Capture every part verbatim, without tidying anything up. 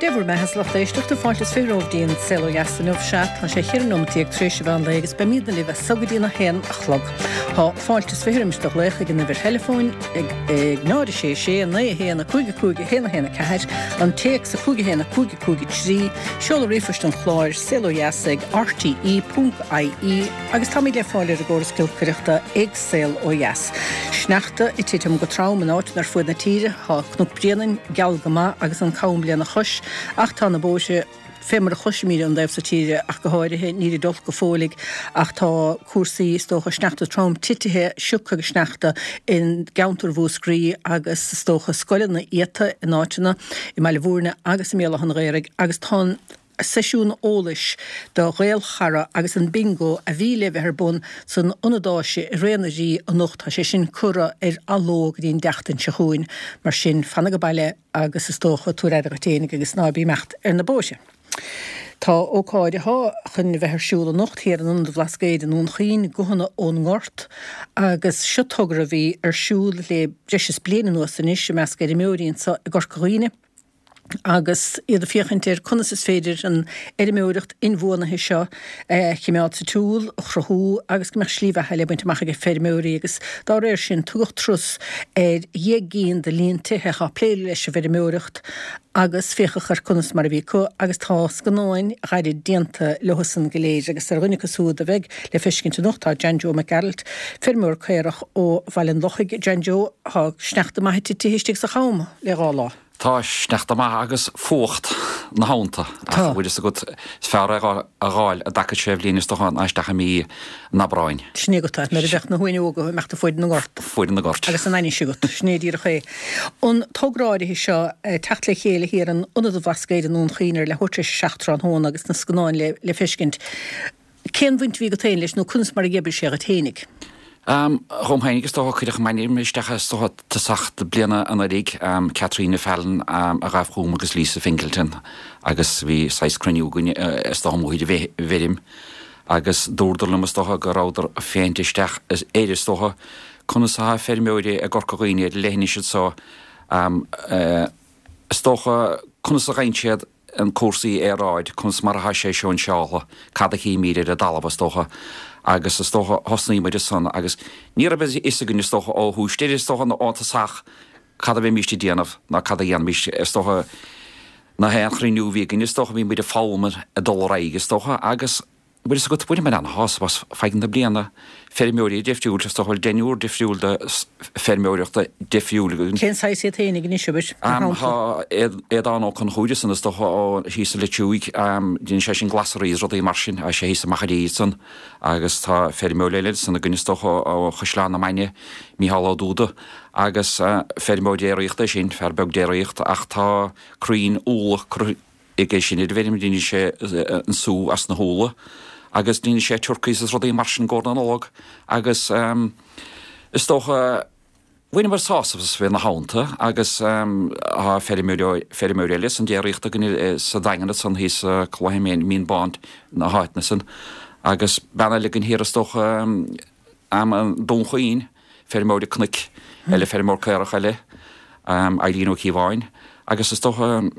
Dé bhur mbeatha a lucht éisteachta fáilte is fiche romhaibh go dtí an Saol Ó Dheas inniu sea tá sé cheithre nóiméad déag tar éis an mheán lae agus beimidne libh as so go dtí a haon a chlog. Tá fáilte is fiche roimis do ghlaoch ag an uimhir theileafóin ag ag náid a sé sé naoi a haon a cúig a cúig a haon a haon a ceathair, an téacs a cúig a haon a cúig a cúig a trí, seoladh ríomhphoist an chláir saol ó dheas ag rte ponc ie agus táimid le fáil ar an gcóras giolcaireachta ag Saol Ó Dheas. Sneachta ag titim go trom in áiteanna ar fuaid na tíre, tá Cnoc Bréanainn geal go maith agus an cam lena chois, ach tá na bóithre fé mar a chloisimid ón dtaobh so tíre ach go háirithe níl siad olc go fóill ach tá cúrsaí is dócha sneachta trom titithe sioc agus sneachta i gceantar Mhúscraí agus is dócha scoileanna iata in áiteanna i mBaile Bhúirne agus i mBéal Átha an Ghaorthaidh agus tá an seisiún eolais do Ghaelchara agus an bingo a bhí le bheith ar bun san Ionad Áise i Ré na Rí anocht tá sé sin curtha ar athló go dtí an tseachtain seo chugainn mar sin fan ag baile agus is dócha tabhair aire duit fhéinig agus ná bí ag imeacht ar na bóithre. Tá ócáid atá chun bheith ar siúl anocht thiar in Ionad an Bhlascaoid i nDún Chaoin, Guthanna ón nGort agus seo togra a bhí ar siúl le breis is bliain anuas anois i measc fheirmeoirí anseo i gCorca Dhuibhne. agus iad ag féachaint ar conas is féidir an fheirmeoireacht inbhuanaithe seo a choimeád sa tsiúl, a chruthú agus go mbeadh slí bheatha le baint amach ag feirmeoirí agus dá réir sin tugadh turas ar dheich gcinn de líon tithe atá ag plé leis an bhfeirmeoireacht agus féachadh ar conas mar a bhí acu agus tá scannáin ghairid déanta leosan go léir agus ar dhuine acu siúd a bheidh le feiscint anocht tá John Joe Mac Gearailt, feirmeoir caorach ó Bhaile an Lochaigh. John Joe, tá sneachta maith titithe istigh sa Cham le dhá lá. Tá sneachta maith agus fuacht na theannta ach bhfuil fhios agat is fearr é a dh'fháil i dtaca sé bhliain is dócha ná isteach i mí an Aibreáin. Sin é agat é, nuair a bheadh na huain óga ag imeacht fuaid na ngort. Fuaid na ngort. Agus an ainnis agat, sin é díreach é. An togra áirithe seo, teacht le chéile thiar in Ionad an Bhlascaoid i nDún Chaoin ar leathuair tar éis a seacht tráthnóna agus na scannáin le le feiscint. Cén bhaint a bhí agat féin leis nó conas mar a d'oibrigh sé dhuit fhéinig? Dhom féinig is dócha cuireadh m'ainm isteach is dócha tosach na bliana anuraidh, Caitríona Fallon a ghabh chugam agus Lisa Fingleton agus bhí saghas cruinniú againn is dócha amuigh ar an bhfeirm agus dúradar liom is dócha go rabhadar ag féachaint isteach air is dócha conas atá feirmeoirí i gCorca Dhuibhne ar an leithinis anseo is dócha conas a gheibheann siad an cúrsaí aeráid, conas mar atá sé sóinseáltha, cad a chímíd ar an dtalamh is dócha, agus is dócha thosnaigh muid ansan agus ní raibh a fhios againn is dócha ó thús deireadh is dócha nó ón tosach cad a bheimíst ag déanamh ná cad a dhéanfaimíst is dócha na haon chruinniú a bhí againn is dócha bhí muid ag foghlaim ag dul ar aghaidh is dócha agus Bhfuil fhios agat, bhaineamar ana-shásamh as feadh na bliana, feirmeoirí difriúil, is dócha bhfuil deichniúr difriúil de feirmeoireachta difriúil againn. Cén saghas iad féinig anois, abair, mar shampla? Tá Aodán Ó Conchúir ansan, is dócha, ó thíos sa Leitriúig, déanann sé sin glasraí is rudaí mar sin, tá sé thíos i Machaire ansan, agus tá feirmeoir eile ansan againn, is dócha, ó Chaisleán na Mainge, Mícheál Ó Dúda, agus feirmeoir déiríochta é sin, fear beag déiríochta, ach tá crainn úlla curtha aige sin ar an bhfeirm, déanann sé an sú as na húlla agus déanann sé turcaí is rudaí mar sin i gcomhair na Nollag agus is dócha bhaineamar sásamh as bheith ina theannta agus tá feirmeoir feirmeoir eile san déiríocht againn sa Daingean ansan thíos sa Cloich Mín Bán na háiteanna san agus bean eile againn thiar is dócha i nDún Chaoin, feirmeoir cnoic eile, feirmeoir caorach eile, Eileen Ó Cíobháin agus is dócha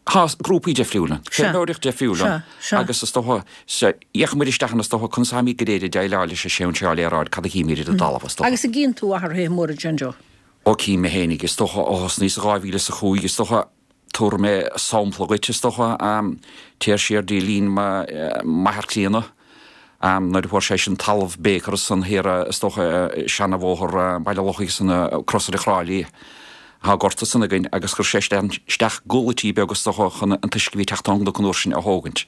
Tá grúpaí difriúla, feirmeoireacht difriúil ann agus is dócha, d'fhéach muid isteach ann is dócha conas atáimid go léir ag déileáil leis an sóinseáil aeráid, cad a chímid ar an dtalamh is dócha. Agus an gcíonn tú athruithe móra John Joe? Ó cím mé fhéinig, is dócha, ó thosnaíos i dhá mhíle is a cúig, is dócha, tabharfaidh mé sampla dhuit, is dócha, téir siar dtí linn m'athar críonna, Nuair a fuair sé sin talamh Baker ansan thiar is dócha seana-bhóthar Baile Lochaigh san crosaire Thráighlí thá gort ansan againn agus chuir sé isteach gulaití beag is dócha chun an t-uisce a bhí ag teacht ón gcnoc an uair sin a thógaint.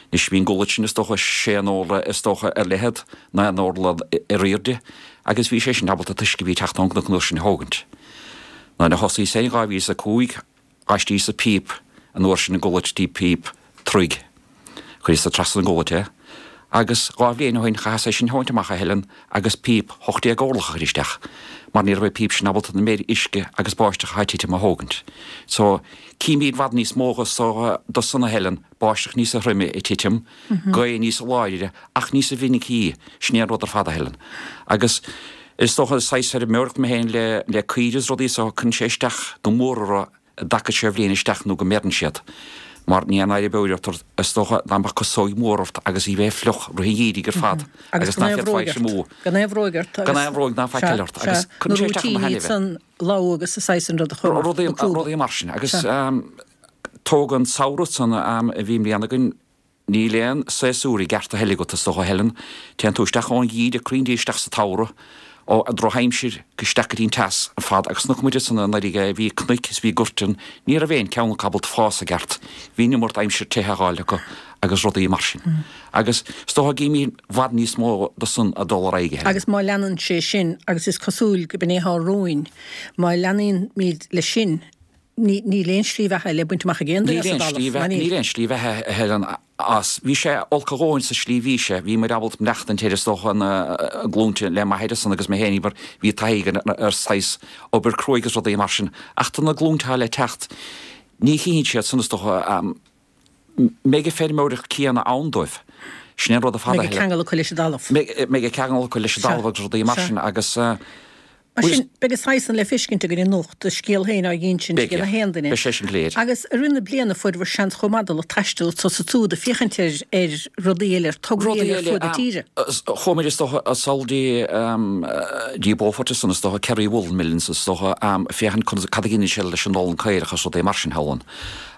Anois bhí an gulait sin is dócha sé n-orlach is dócha ar leithead, naoi n-orlach ar aoirde agus bhí sé sin ábalta an t-uisce a bhí ag teacht ón gcnoc an uair sin a thógaint. Nuair a thosaíos féin dhá mhíle is a cúig D'fheistíos-sa píp an uair sin i gculait dtí píp troigh. Chuireas-sa trasna an gculait é agus dhá bhliain ó shin chaitheas é sin a thógaint amach a Helen agus píp hocht déag orlach a chur isteach mar ní raibh an píp sin ábalta na méid uisce agus báisteach atá ag titim a thógaint. So címid i bhfad níos mó do do san a Helen, báisteach níosa throime ag titim, gaoth níosa láidre ach níosa mhinicí, sin é an rud ar fad a Helen. Agus is dócha saghas feirmeoireacht mé féin le le caoirigh is rudaí so cuireann sé isteach go mór orthu i dtaca sé bhliain isteach nó go mbeireann siad. Mar ní an éirí beoir ort is dócha dá mbeadh casóig mhór ort agus í bheith fliuch rith an gheimhridh ar fad Agus agus gan ná aon féadfá bhróig é ort. mó. Gan aon bhróig ort Gan agus aon bhróig ná faic Sea, eile ort sea. agus Na cuireann sé isteach na rúitíní hainmhithe. san lá agus sa saghas an rud a chur ort, Rudaí na crúba. rudaí mar sin agus Sea. um, tóg an samhradh san um, a bhí i mbliana againn níl aon séasúr i gceart a thuilleadh agat is dócha Helen. Téann tú isteach ón gheimhreadh cruinndí isteach sa tsamhradh ó a drochaimsir go isteach go dtí an teas ar fad agus chonaic muid san anuraidh bhí cnoic is bhí goirt ann, ní raibh aon cheann acu ábalta fás i gceart. Bhí an iomarca aimsir te a fháil acu agus rudaí mar sin. Agus is dócha go mbíonn i bhfad níos mó de san a dul ar aghaidh Helen. Agus má leanann sé sin agus is cosúil go b'in é atá romhainn, má leanann muid leis sin, ní níl aon slí bheatha le baint amach ag aon duine Níl as an aon dtalamh, slí ná bheatha- níl? níl aon slí bheatha a Helen as. Bhí sé olc a dhóthain sa slí bhí sé, bhí muid ábalta maireachtaint air is dócha na glúnta le m'athair san agus mé féin mar bhí taithí againn ar saghas obair cruaidh agus rudaí mar sin. Ach tá na glúnta le teacht, ní chíonn siad san is dócha um, mbeidh an feirmeoireacht céanna ann dóibh. Sin an rud a fada Mbeidh ceangal acu leis an dtalamh. Mbeidh ceangal acu leis an Sea. dtalamh agus rudaí mar Sea. sin agus uh, Mar sin, beidh a saghas san le feiscint againn anocht, do scéal féin á insint Beidh, ag na haon duine. Beidh sé sin léir. Agus i rith na bliana fuair bhur seans chomh maith dul ag taisteal so sa tsúd ag féachaint ar ar rudaí eile, ar tograí eile ar fud na tíre. Chuaigh muid is dócha sall dtí dtí Beaufort san is dócha Kerry Wool Millins is dócha féachaint conas cad a dhéanann sé leis an olann caorach agus rudaí mar sin Helen.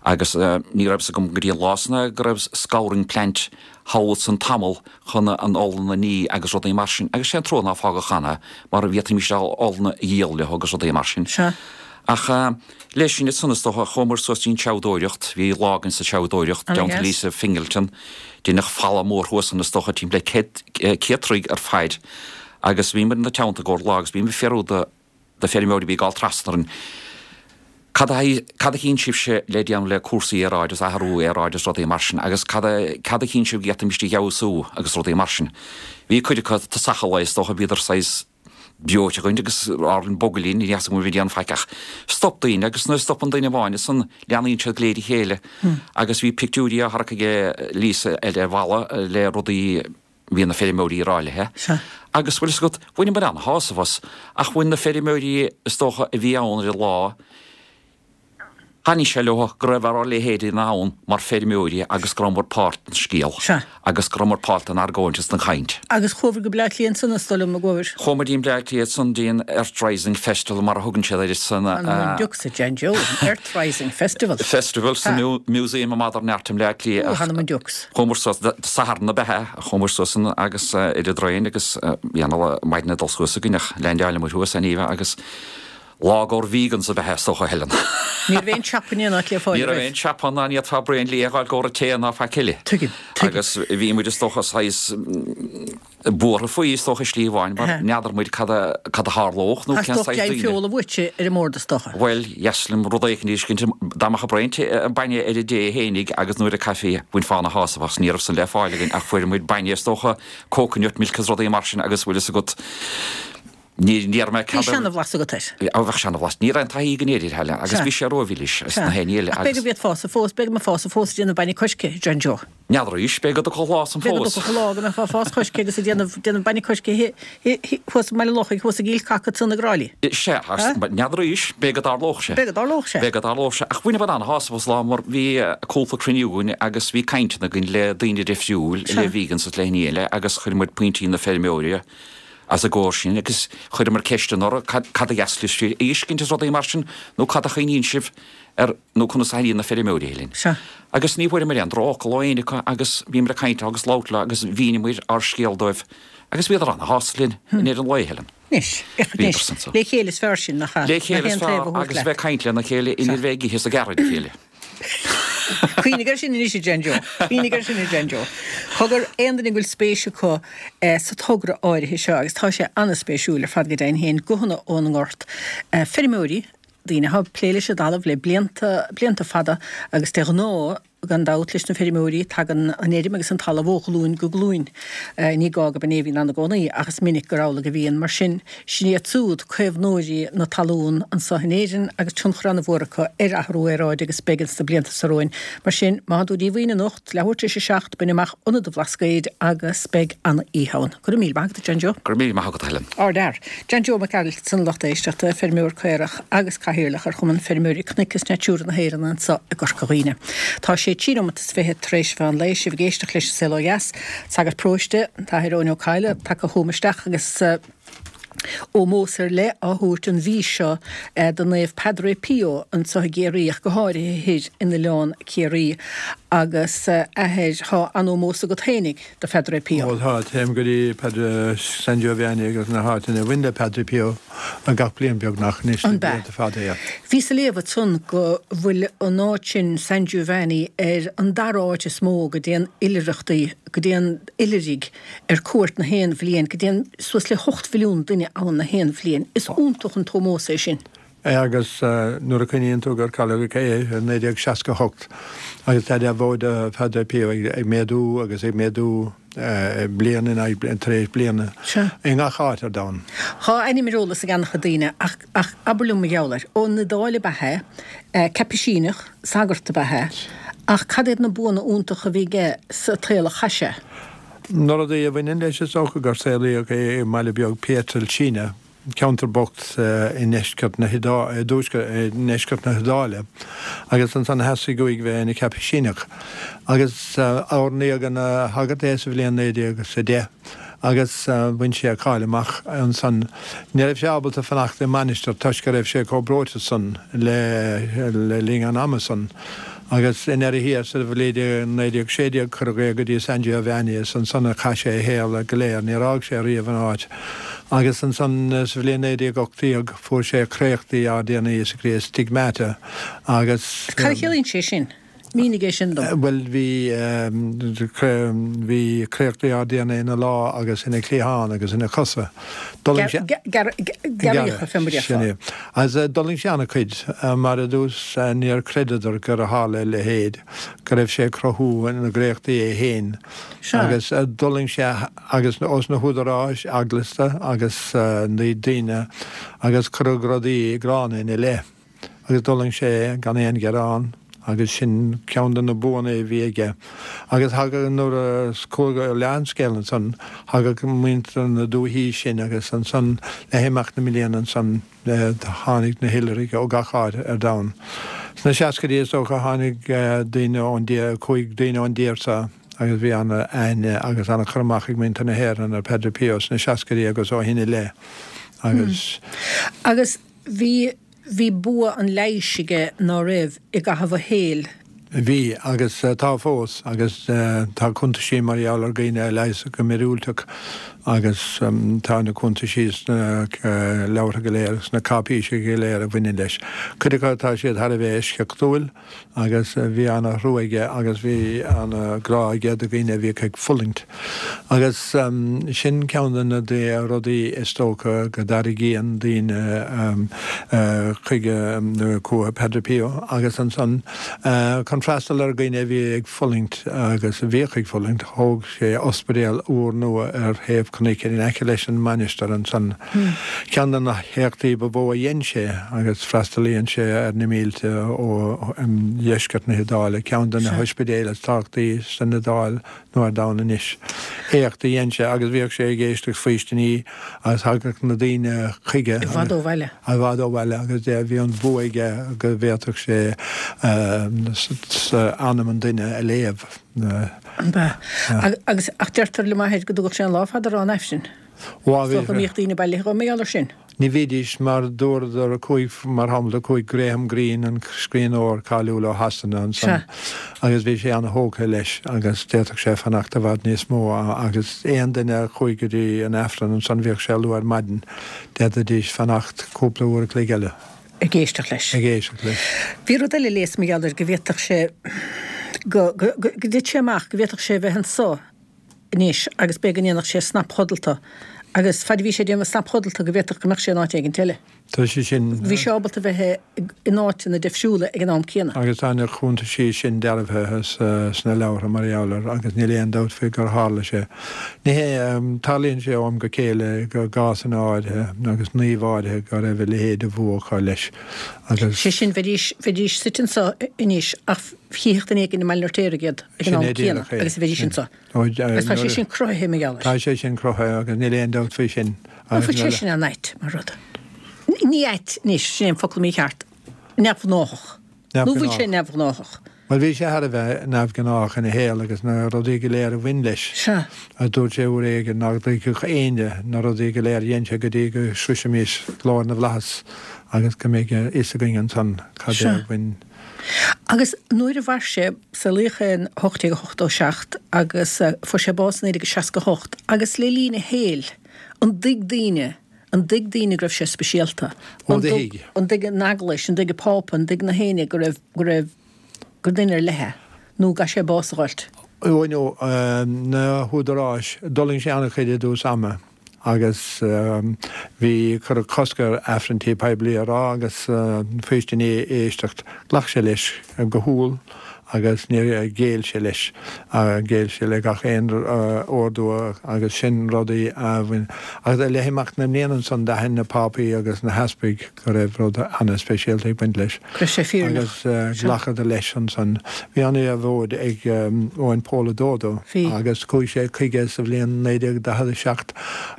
Agus ní raibh fhios agam go dtí an lá san go raibh scouring plant thall san tamall chun an olann a ní agus rudaí mar sin. Agus sé an trua nár fágadh cheana mar bhí sé olann a dhíol leo agus rudaí mar sin. Sea. Ach uh, leis sin san is dócha chuamar suas dtí'n tseabhdóireacht, bhí lá againn sa tseabhdóireacht Ana down dheas. Lisa Fingleton, Deineadh falla mór thuas an is dócha timpeall le céad céad troigh ar faid. Agus bhí muid ina teannta gcóir lá agus bhí mé fiafraí de de feirmeoirí bhí ag gabháil trasna orainn. Cad a cad a chíonn sibhse le déanamh le cúrsaí aeráide is athrú aeráide is rudaí mar sin, agus cad a cad a chíonn sibh go bhféadfaimis a fheabhsú agus rudaí mar sin. Bhí cuid acu tosach lá is dócha bhíodar saghas breoite againn agus ar an bogalín ní go bhí an feiceach. Stop daoine agus nuair a stopann duine amháin is san leanaíonn siad go léir a chéile. Agus bhí pictiúirí á tharrac aige Lisa ar ar bhalla le rudaí bhí na feirmeoirí ráithe. Sea. Agus bhfuil fhios agat bhain muid an-shásamh as ach bhain na feirmeoirí is dócha a bhí ann ar an lá, Thaitnigh sé leo go raibh ár leithéid ann mar feirmeoirí agus go rabhamar páirt den scéal Sea. agus go rabhamar páirt den argóint is den chaint. Agus chuabhair go Bleá Cliath ansan is dóigh liom a gcuabhair. Chuaigh muid dtí Bleá Cliath san dtí'n Earth Rising Festival mar a thugann siad air san An Dukes Jan Joe, Earth Rising Festival. Festival sa Museum of Modern Art i Bleá Cliath. Th'anam 'on diucs. Chuamar suas Satharn ab ea chuamar suas agus ar an dtraein agus bhí an maidin dul suas againn ach leaindeáil muid thuas aníveh agus lá gur vegans ab ea is dócha Helen. Ní raibh aon siopa in áit le fáil. Ní raibh aon siopa ná ní fhéadfá braon liath a fháil go tae ná faic eile. Tuigim, tuigim. Agus bhí muid is dócha saghas buartha faoi is dócha slí amháin mar n'fheadar muid cad a cad a tharlódh nó cén As saghas daoine. daoine. Feola bhuaite ar an mbord is dócha. Well, yes, rud éicint cinnte dá mbeadh braon bainne ar an dtae fhéinig agus nuair a caife bhainfeá an-shásamh as ní raibh san le fáil againn ach fuair muid bainne is dócha coconut milk agus rudaí mar sin agus bhfuil fhios agat ní ní mé Bhí seana-bhlas agat air. A bheith seana-bhlas ní raibh taithí againn air Helen agus Sea. bhí sé rómhilis is na héile Ach b'fhéidir go bhféadfá fós b'fhéidir go mbeifeá fós ag déanamh bainne coiscthe John Joe. N'fheadar b'fhéidir go dtiocfadh lá san B'fhéidir fós. go lá go mbeifeá ag fás coiscthe agus ag déanamh déanamh bainne coiscthe thuas i mBaile Locha thuas i gCill Caca san na Gráilí. Se n'fheadar b'fhéidir go dtarlódh sé. B'fhéidir go dtarlódh sé. B'fhéidir go dtarlódh sé ach bhain muid an-shásamh as lá mar bhí cúpla cruinniú againn agus bhí cainteanna againn le daoine difriúil le vegans is le héinne eile agus chuir muid pointí na feirmeoirí as a gcóir sin agus chuireamar ceisteanna orthu cad cad a dheaslis si éiscint is rudaí mar sin nó cad a chuimhníonn sibh ar nó conas a thaitníonn na feirmeoirí linn. Sea. Agus ní bhfuaireamar aon drochfhocal ó éinne acu agus bhíomar ag caint agus labhairt leo agus mhíníomar ár scéal dóibh agus bhíodar an-shásta linn in ar an lá Helen. Anois, Bhíodar san so. Le chéile is fearr sin nach Le chéile is fearr agus bheith caint lena chéile in bheith ag ithe is ag gearradh a chéile. Cuimhnigh air sin anois John Joe. Cuimhnigh air sin John Joe. Cogar aon duine go bhfuil spéis acu eh, sa togra áirithe seo agus tá sé an-spéisiúil ar fad go deimhin féin guthanna ón ngort. Eh, Feirmeoirí daoine atá ag plé leis an dtalamh le blianta blianta fada agus de ghnáth gan dabht, leis na feirmeoirí, tagann an fheirm agus an talamh ó ghlúin go glúin. Ní gá gurb in é a bhíonn ann i gcónaí, ach is minic gur amhlaidh a bhíonn. Mar sin, sin iad siúd, caomhnóirí na talún anso in Éirinn agus tionchar an-mhór acu ar athrú aeráide agus beidh ins na blianta seo romhainn. Mar sin, má thánn tú díomhaoin anocht, leathuair tar éis a seacht, bain amach Ionad an Bhlascaoid agus beidh an-oíche ann. Go raibh míle maith agat, a John Joe. Go raibh míle maith agat, a Helen. Ardfhear. John Joe Mac Gearailt ansan, a lucht éisteachta, feirmeoir caorach agus cathaoirleach ar Chumann Feirmeoirí Cnoic is Natura na hÉireann anso i gCorca Dhuibhne. Tá sé trí nóimeat is fiche tar éis mheán lae, sibh ag éisteacht leis an Saol Ó Dheas. Sagart paróiste, an tAthair Eoin Ó Cadhla, tagtha chugam isteach agus ómós ar leith á thabhairt an mhí seo do Naomh Padre Pio anso i gCiarraí, ach go háirithe thoir in Oileán Ciarraí. Agus, a Athair, tá an-ómós agat fhéinig do Phadre Pio. Ó tá, téim go dtí Padre San Giovanni agus na háiteanna a bhain le Padre Pio gach bliain beagnach anois le An b'ea? blianta fada, yeah. Bhíos ag léamh ansan go bhfuil an áit sin, San Giovanni, ar an dara áit is mó go dtéann oilithreachtaí, go dtéann oilithrigh ar cuairt na haon bhliain, go dtéann suas le hocht mhilliún duine ann na haon bhliain. Is iontach an t-ómós é sin. Agus nuair a chuimhníonn tú gur cailleadh é i naoi déag seasca a hocht agus tá deabhóid do Phadre Pio ag méadú agus ag méadú bliain in aghaidh tar éis bliana i ngach áit ar domhan. Tá a ainm ar eolas ag an-chuid daoine ach ach abair liom mar gheall air. Ón Iodáil ab ea é, Caipisíneach, sagart ab ea é, ach cad iad na buanna iontacha a bhí aige sa tsaol a chaith sé? Na rudaí a bhaineann leis is dócha gur saolaíodh é i mbaile beag Pietrelcina, ceantar bocht i ndeisceart na i ndeisceart na hIodáile, agus ansan theastaigh uaidh bheith ina Chaipisíneach. Agus oirníodh ina shagart é sa bhliain naoi déag is a deich agus bhain sé cáil amach ansan. Ní raibh sé ábalta fanacht i mainistir toisc go raibh sé chomh breoite san le le linn an ama san. Agus i ndeireadh thiar sa bhliain naoi déag sé déag cuireadh é go dtí San Giovanni is ansan a chaith sé a shaol go léir, níor fhág sé riamh an áit. Agus ansan sa bhliain naoi déag ocht déag fuair sé créachtaí ár dTiarna Íosa Críost, stigmata, agus. Cad a chiallaíonn sé sin? Mínigh é sin dom. Bhuel, bhí, bhí créachtaí ár dTiarna ina lámh agus ina chliathán agus ina chosa. D'fhulaing sé. Gearraíocha, fé mar a déarfá. Sin é. Agus d'fhulaing sé an-chuid, mar i dtús níor chreideadar gur tharla a leithéid, go raibh sé ag cruthú na gcréachtaí é féin. Agus d'fhulaing sé agus ós na húdaráis eaglasta agus na daoine agus cuireadh rudaí gránna ina leith. Agus d'fhulaing sé gan aon ghearán agus sin ceann de na buanna a bhí aige. Agus thagadh nuair a chuaigh leath an scéal ansan, thagadh muintir na dúichí sin agus ansan le himeacht na mbliana ansan tháinig na hoilithrigh ó gach áit ar domhan. Sna seascaidí is dócha tháinig daoine ón dtír, chuaigh daoine ón dtír seo agus bhí an-aithne agus an-chur amach ag muintir na hÉireann ar Padre Pio sna seascaidí agus ó shin i leith agus. Agus bhí. Bhí bua an leighis aige, ná raibh, i gcaitheamh a shaoil? Bhí, agus tá fós, agus tá cuntaisí mar gheall ar dhaoine a leigheasadh go míorúilteach agus tá na cuntaisí sna leabhartha go léir, sna cáipéisí go léir a bhaineann leis. Cuid acu tá siad thar a bheith eisceachtúil agus bhí ana-thrua aige agus bhí ana-ghrá aige do dhaoine a bhíodh ag fulaingt. Agus sin ceann de na rudaí is dócha go dtarraingíonn daoine chuige, chucu Padre Pio agus ansan chun freastal ar dhaoine a bhí ag fulaingt agus a bhíodh ag fulaingt, thóg sé ospidéal úrnua ar thaobh cnoic in aice leis an mainistir ansan. Ceann de na héachtaí ba mhó a dhein sé agus freastalaíonn sé ar na mílte ó dheisceart na hIodáile, ceann de na hospidéil is tábhachtaí san Iodáil nó ar domhan anois. Éacht a dhein sé agus bhíodh sé ag éisteacht faoistiní agus thagadh na daoine chuige. I bhfad ó bhaile. I bhfad ó bhaile agus bhí an bua aige go bhféadfadh sé anam an duine a léamh. An b'ea? Agus ach deirtear liom a athair go dtugadh sé an lá fada a rá an Aifrinn. Is dócha go mbíodh daoine bailithe dhó mar gheall air sin. Ní bhídís mar dúradar chuaigh, mar shampla, chuaigh Graham Greene, an scríbhneoir cáiliúil ó Shasana ansan agus bhí sé ana-thógtha leis agus d'fhéadfadh sé fanacht i bhfad níos mó agus aon duine a chuaigh go dtí an Aifreann ansan bhíodh sé luath ar maidin, d'fhéadfaidís fanacht cúpla uair a chloig eile. Ag éisteacht leis. Ag éisteacht leis. Bhí rud eile a léas mar gheall air go bhféadfadh sé, go, go, go dtit sé amach go bhféadfadh sé a bheith anso anois agus b'fhéidir go ndéanfadh sé snapchodlata Agus fad a bhí sé ag déanamh snapchodlata go bhféadfadh go mbeadh sé in áit éigin eile. Tá sé sin. Bhí sé ábalta bheith in áiteanna difriúla ag an am céanna. Agus tá na cuntaisí sin dearbhaithe sna leabhartha mar gheall air agus níl aon dabht faoi gur tharla sé. Ní hé, tarlaíonn sé ó am go chéile i gcásanna áirithe agus naoimh áirithe go raibh a leithéid de bhua acu leis agus. Sé sin, bheidís, bheidís suite anseo anois ach chífeadh duine éigin i mBaile an Fheirtéaraigh iad ag an am céanna agus bheidís anseo. Agus tá sé sin cruthaithe mar gheall air. Tá sé sin cruthaithe agus níl aon dabht faoi sin. An bhfuil sé sin an-ait mar rud? Ní ait anois, sin é an focal mícheart, neamhghnáthach. Nó bhfuil sé neamhghnáthach? Bhuel, bhí sé thar a bheith neamhghnách ina shaol agus na rudaí go léir a bhain leis. Sea. Agus dúirt sé uair éigin nach dtuigfeadh éinne na rudaí go léir a dhein sé go dtí go sroisfimis glóir na bhflaitheas agus go mbeidh a fhios againn ansan cad é a bhain. Agus nuair a mhair sé, saolaíodh é in ocht déag ochtó seacht agus fuair sé bás in naoi déag seasca hocht, agus le linn a shaoil, an dtuig daoine, an dtuig daoine go raibh sé speisialta? Ó do thuig. An dtuig an Eaglais, an dtuig an Pápa, an dtuig na héinne go raibh, go raibh, gur duine ar leith é? Nó go gcaithfidh sé bás a dh'fháilt? Ó no, na húdaráis, d'fhulaing sé an-chuid i dtús ama. agus bhí, cuireadh cosc air Aifrinntí poiblí a rá agus faoistiní a éisteacht. Ghlac sé leis go humhal agus níor ghéill sé leis. Ghéill sé le gach aon ordú agus sin rudaí a bhain. Agus le himeacht na mblian ansan d'aithin na Pápaí agus na heaspaig go raibh rud ana-speisialta ag baint leis. Go raibh sé fírinneach. Agus ghlacadar leis ansan. Bhí ana-dheabhóid ag Eoin Pól a Dó dó agus chuaigh sé chuige sa bhliain naoi déag daichead a seacht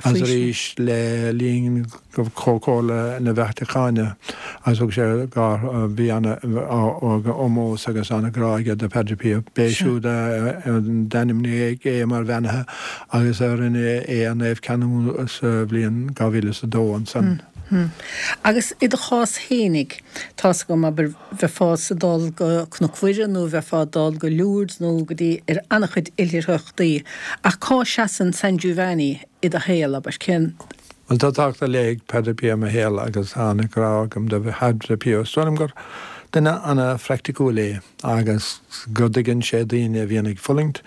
agus arís le linn Chomhchomhairle na Vatacáine agus thug sé dhá, bhí ana-ómós agus ana-ghrá aige do Padre Pio. B'é siúd a d'ainmnigh é mar bheannaithe agus a rinne é a naomhcheanú sa bhliain dhá mhíle is a dó ansan. Agus i do chás fhéinig, tá's agam, abair, bheifeása ag dul go Cnoc Mhuire nó bheifeá ag dul go Lourdes nó go dtí ar an-chuid oilithreachtaí, ach cá seasann San Giovanni i do shaol, abair, cén. Bhuel, tá tábhacht ar leith ag Padre Pio i mo shaol agus tá an-ghrá agam do Phadre Pio. Is dóigh liom gur duine an-phraiticiúil é agus go dtuigeann sé daoine a bhíonn ag fulaingt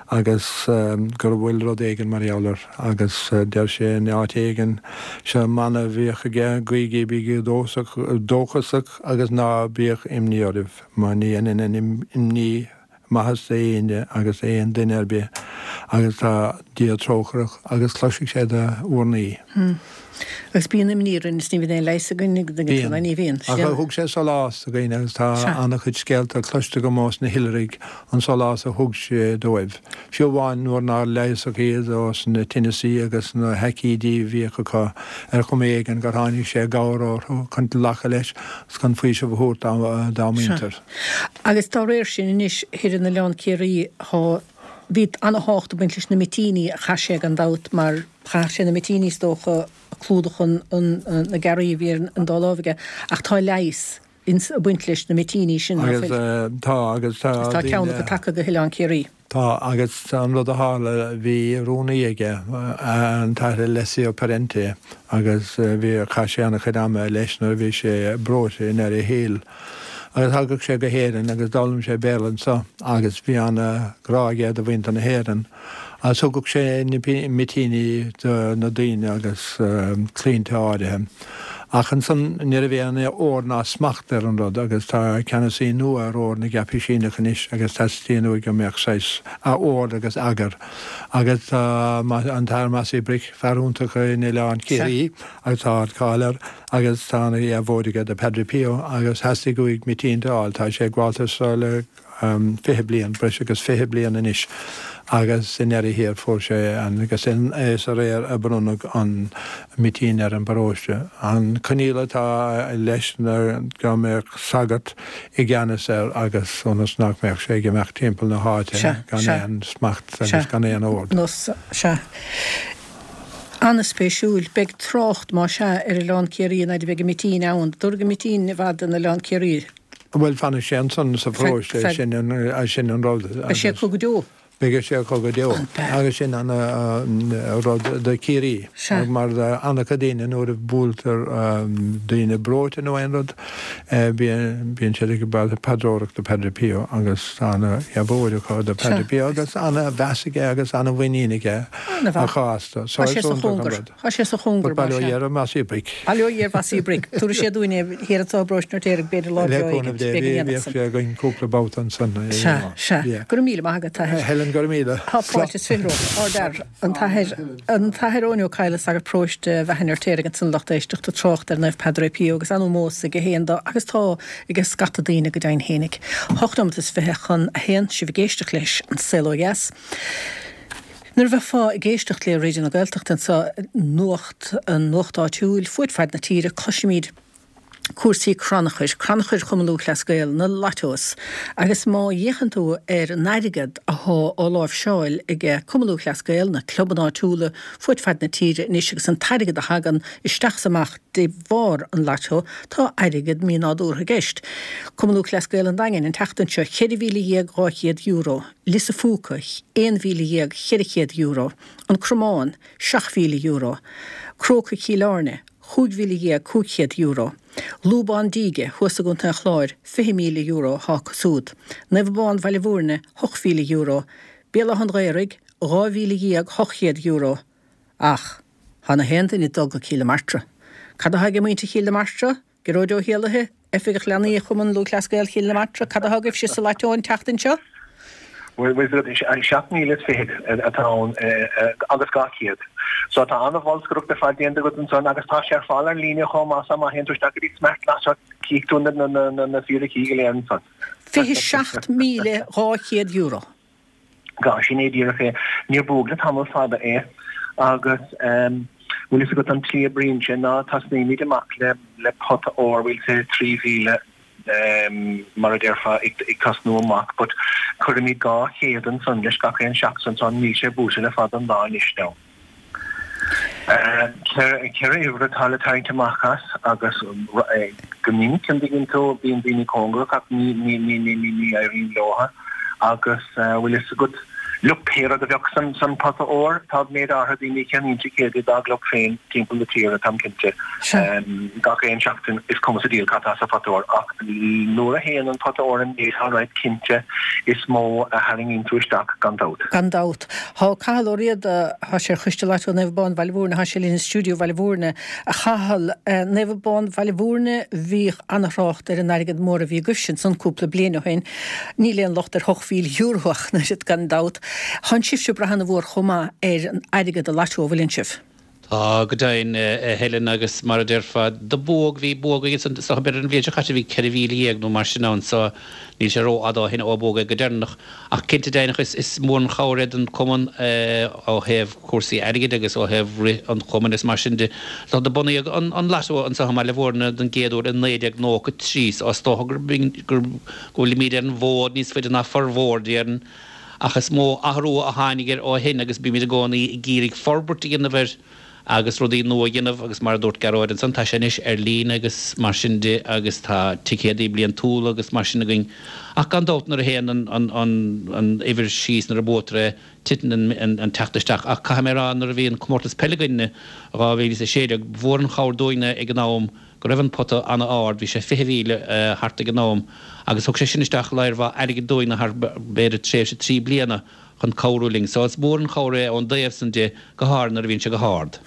agus go bhfuil rud éigin mar gheall air agus deir sé in áit éigin, seo mana a bhíodh aige, guígí, bígí dóchasach agus ná bíodh imní oraibh mar ní dhéanann an imní maitheas d'éinne agus aon duine ar bith agus tá Dia trócaireach agus cloisfidh sé do urnaí. Agus bíonn imní orainn is ní bhíonn aon leigheas againn ag duine Bíonn. Ní bhíonn. Ach thug sé sólás do dhaoine agus tá an-chuid scéalta cloiste agam ós na hoilithrigh an sólás a thug sé dóibh. Fiú amháin nuair nár leigheasadh iad ós na tinneasaí agus na haicídí a bhíodh acu ar chuma éigin gur tháinig sé i gcabhair orthu chun glacadh leis agus chun faoiseamh a thabhairt dá muintir. Agus dá réir sin anois, thoir in Oileán Ciarraí, thá, bhí ana-thábhacht ag baint leis na mitíní a chaith sé gan dabht mar chaitheadh sé na mitíní is dócha ag clúdach an, an, na gearraí a bhí ar an dá láimh aige ach tá leigheas ins, ag baint leis na mitíní sin, ná Agus fuil? tá, agus tá Agus tá ceann daoine. acu tagtha go hOileán Ciarraí. Tá, agus an rud a tharla, bhí rúnaí aige, an tAthair Alessio Parente, agus bhí, chaith sé an-chuid ama leis nuair a bhí sé breoite i ndeireadh a shaoil. Agus thagadh sé go hÉirinn agus d'fhoghlaim sé Béarla anseo agus bhí an-ghrá aige do mhuintir na hÉireann. Agus thugadh sé na mitíní do na daoine agus claimhte áirithe. Ach ansan ní raibh aon ord ná smacht ar an rud agus tá ceannasaí nua ar Ord na gCaipisíneach anois agus teastaíonn uaidh go mbeadh saghas ord agus eagar. Agus tá an tAthair Mossy Brick, fear iontach in Oileán Ciarraí agus tá ardcháil air agus tá ana-dheabhóid aige do Padre Pio agus theastaigh uaidh mitínte a fháil. Tá sé ag gabháltas le fiche bliain, breis agus fiche bliain anois agus i ndeireadh thiar fuair sé an, agus is aréir a bronnadh an mitín ar an bparóiste. An coinníoll atá leis ná go mbeadh sagart i gceannas air agus ionas nach mbeadh sé ag imeacht timpeall na háite gan aon smacht agus gan aon ord. Sea. An-spéisiúil. Beidh trácht, más ea, ar Oileán Ciarraí an fhaid a bheidh an mitín ann. Dtabharfaidh an mitín i bhfad in Oileán Ciarraí. Bhuel, fanfaidh sé ansan sa pharóiste, sin an, sin an rud. Beidh sé acu go deo. Beidh sé acu go deo. Agus sin an rud do Chiarraí. Mar an-chuid daoine nuair a buailtear daoine breoite nó aon rud, bíonn siad ag paidreoireacht do Padre Pio agus ana-dheabhóid acu do Padre Pio agus ana-mheas aige agus ana-mhuinín aige acu astu. Tá sé sa chóngar. Tá sé sa chóngar, mar sea. Bail ó Dhia ar Mossie Brick. Bail ó Dhia ar Mhossie Brick. Tabharfaidh sé dúinn é thiar anseo i bparóiste an Fheirtéaraigh, b'fhéidir lá breá éigin. Le cúnamh Dé, bhíodh sé againn cúpla babhta ansan. Sea, sea. Go raibh míle maith agat, a Athair. Helen, go raibh míle. Tá fáilte is fiche romhat. Ardfhear, an tAthair, an tAthair Eoin Ó Cadhla, sagart paróiste Bheatha an Fheirtéaraigh ansan lucht éisteachta trácht ar Naomh Padre Pio agus an-ómós aige féin dó agus tá aige scata daoine go deimhin fhéinig. Hocht nóimeat is fiche chun a haon, sibh ag éisteacht leis An Saol Ó Dheas. Nuair a bheifeá ag éisteacht le Raidió na Gaeltachta anseo, nuacht, an nuacht áitiúil, fuaid faid na tíre, cloisimid cúrsaí crannchuir, crannchuir Chumann Lúthchleas Gael, na lottos, agus má fhéachann tú ar an airgead athá á láimhseáil ag Cumann Lúthchleas Gael, na clubanna áitiúla fuaid faid na tíre anois agus an t-airgead a thagann isteach 's amach de bharr an lotto, tá airgead mínádúrtha i gceist. Cumann Lúthchleas Gael an Daingin an tseachtain seo, ceithre mhíle dhéag dhá chéad euro, Lios a' Phúca, aon mhíle dhéag cheithre chéad euro, An Cromán, seacht mhíle euro, Crócaigh Chill Airne, chúig mhíle dhéag cúig chéad euro. Lúbán Díge, thuas i gContae an Chláir, fiche míle euro atá acu súd. Naomh Abán Bhaile Bhúirne, ocht mhíle euro. Béal Átha an Ghaorthaidh, dhá mhíle dhéag hocht chéad euro. Ach, tá na haon duine ag dul go Cill na Martra. Cad atá aige muintir Chill na Martra? Gearóid Ó hÉallaithe, Oifigeach Leanaí Chumann Lúthchleas Gael Chill na Martra, cad atá agaibhse sa lotto an tseachtain seo? Bhuel, seacht míle is fichead atá ann agus dhá chéad. So tá an-bholscaireacht ar fad déanta agat ansan agus tá sé ar fáil ar líne chomh maith so má théann tú isteach go dtí Smart Lotto cífidh tú na fíricí go léir ansan. Fiche seacht míle dhá chéad euro. Gá, sin é díreach é. Níor buadh le tamall fada é agus bhfuil fhios agat an tslí a oibríonn sé ná tosnaímid amach le pota óir, we'll say trí mhíle, mar a déarfá, ag tosnú amach, but cuirimid dhá chéad ansan leis gach aon seachtain so níl sé buaite le fada an lá anois now. Ceithre uimhir atá le tarraingt amach as agus go minic an dtuigeann tú bíonn daoine cóngarach ach ní ní ní ní ní éiríonn leotha agus bhfuil fhios agat Look, pé rud a bheadh san san pota óir, tá méid áirithe daoine a cheannaíonn ticéadaí dá gclub féin timpeall na tíre, táim cinnte. Gach aon seachtain, is cuma sa diabhal cad tá sa phota óir, ach nuair a théann an pota óir in méid, alright, cinnte, is mó a tharraingíonn tú isteach, gan dabht. Gan dabht. Tá Cathal Ó Riada, tá sé ar Choiste Lotto Naomh Abán Bhaile Bhúirne, tá sé linn i stiúideo Bhaile Bhúirne. A Chathail, Naomh Abán Bhaile Bhúirne, bhíodh ana-thrácht ar an airgead mór a bhí agaibhse ansan cúpla bliain ó shin. Níl aon locht ar hocht mhíle euro ach an oiread, gan dabht. Tánn sibhse ag brath ana-mhór chomh maith ar an airgead an lotto, an bhfuileann sibh? Tá, go deimhin, a Helen, agus mar a déarfá, do buadh, bhí buadh againn ansan, is dócha, b'fhéidir an bhliain seo caite, bhí ceithre mhíle dhéag nó mar sin ann, so níl sé ró-fhada ó shin ó buadh é go deireanach. Ach cinnte deimhneach, is, is mór an chabhair é don chumann ó thaobh cúrsaí airgid agus ó thaobh rith an chumainn is mar sin de. So do bunaíodh an, an lotto anseo i mBaile Bhúirne don gcéad uair i naoi déag nócha trí, so is dócha gur, gur, go bhfuilimid ar an bhfód níos faide ná formhór, déarfainn. Ach is mó athrú a tháinig air ó shin agus bímid i gcónaí ag iarraidh forbairt a dhéanamh air agus rudaí nua a dhéanamh agus mar a dúirt Gearóid ansan, tá sé anois ar líne agus mar sin de agus tá ticéadaí bliantúla agus mar sin againn. Ach gan dabht nuair a théann an, an, an, an uimhir síos nuair a buaitear é, titeann an, an teacht isteach. Ach caithfidh mé a rá nuair a bhí an comórtas peile againn i dhá mhíle is a sé déag, ba mhór an chabhair dúinne ag an am go raibh an pota an-ard, bhí sé fiche mhíle thart ag an am, agus thug sé sin isteach lear mhaith airgid dúinn thar b'fhéidir tréimhse trí bliana chun cabhrú linn. So is mór an chabhair é ón dtaobh san de, go háirithe nuair a bhíonn sé go hard.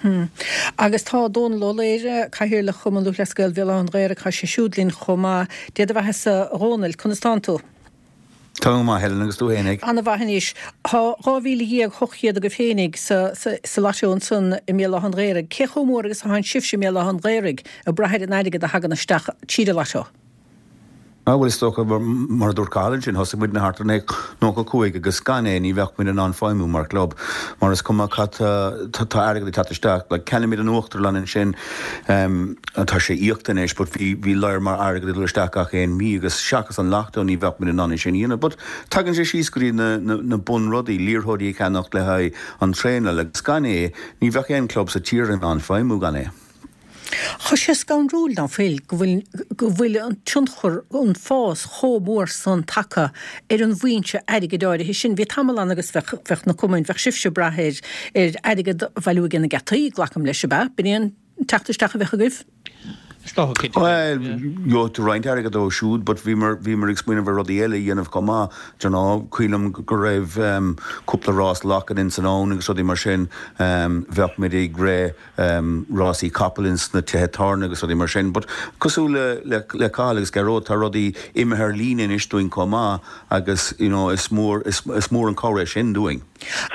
Agus tá Dónal Ó Laoire, Cathaoirleach Chumann Lúthchleas Gael Bhéal Átha an Ghaorthaidh, tá sé siúd linn chomh maith. Dé do bheatha-sa, a Dhónaill, conas tánn tú? Tá mé go maith, Helen, agus tú fhéinig? Ana-mhaith anois. Tá dhá mhíle dhéag hocht chéad agaibh fhéinig sa sa lotto ansan i mBéal Átha an Ghaorthaidh. Cé chomh mór agus atánn sibhse i mBéal Átha an Ghaorthaidh ag brath ar an airgead a thagann isteach tríd an lotto? Á, bhuel, is dócha, mar a dúirt Cathal ansin, thosaigh muidne thart ar naoi nócha cúig agus gan é ní bheadh muid in ann feidhmiú mar chlub mar is cuma cad tá tá airgead ag teacht isteach. Like, ceannaímid an uachtarlann ansin, tá sé íoctha anois but bhí bhí lear mór airgead ag dul isteach gach aon mhí agus seachas an lotto ní bheadh muid in ann é sin a dhéanamh. But tagann sé síos go dtí na na na bunrudaí, liathróidí a cheannacht le haghaidh an traenáil agus gan é ní bheadh aon club sa tír in ann feidhmiú gan é. Tá sé scanrúil ná fuil go bhfuil go bhfuil an tionchar an fás chomh mór san tagtha ar an bhfoinse airgid áirithe sin. Bhí tamall ann agus bheadh bheadh na cumainn, bheadh sibhse ag brath ar ar airgead a bhailiú ag na geataí, glacaim leis, ab ea? B'in é an teacht isteach a bheadh agaibh? Is dócha, cinnte. Bhuel, gheobhaidh tú roinnt airgead ó siúd but bhíomar bhíomar ag smaoineamh ar rudaí eile a dhéanamh chomh maith. Do you know, cuimhin liom go raibh cúpla rás lachan ins an abhainn agus rudaí mar sin. Bheadh muid ag rith rásaí capall ins na tithe tábhairne agus rudaí mar sin. But cosúil le le le Cathal agus Gearóid tá rudaí imithe ar líne anois dúinn chomh maith agus you know is mór is is mór an cabhair é sin dúinn.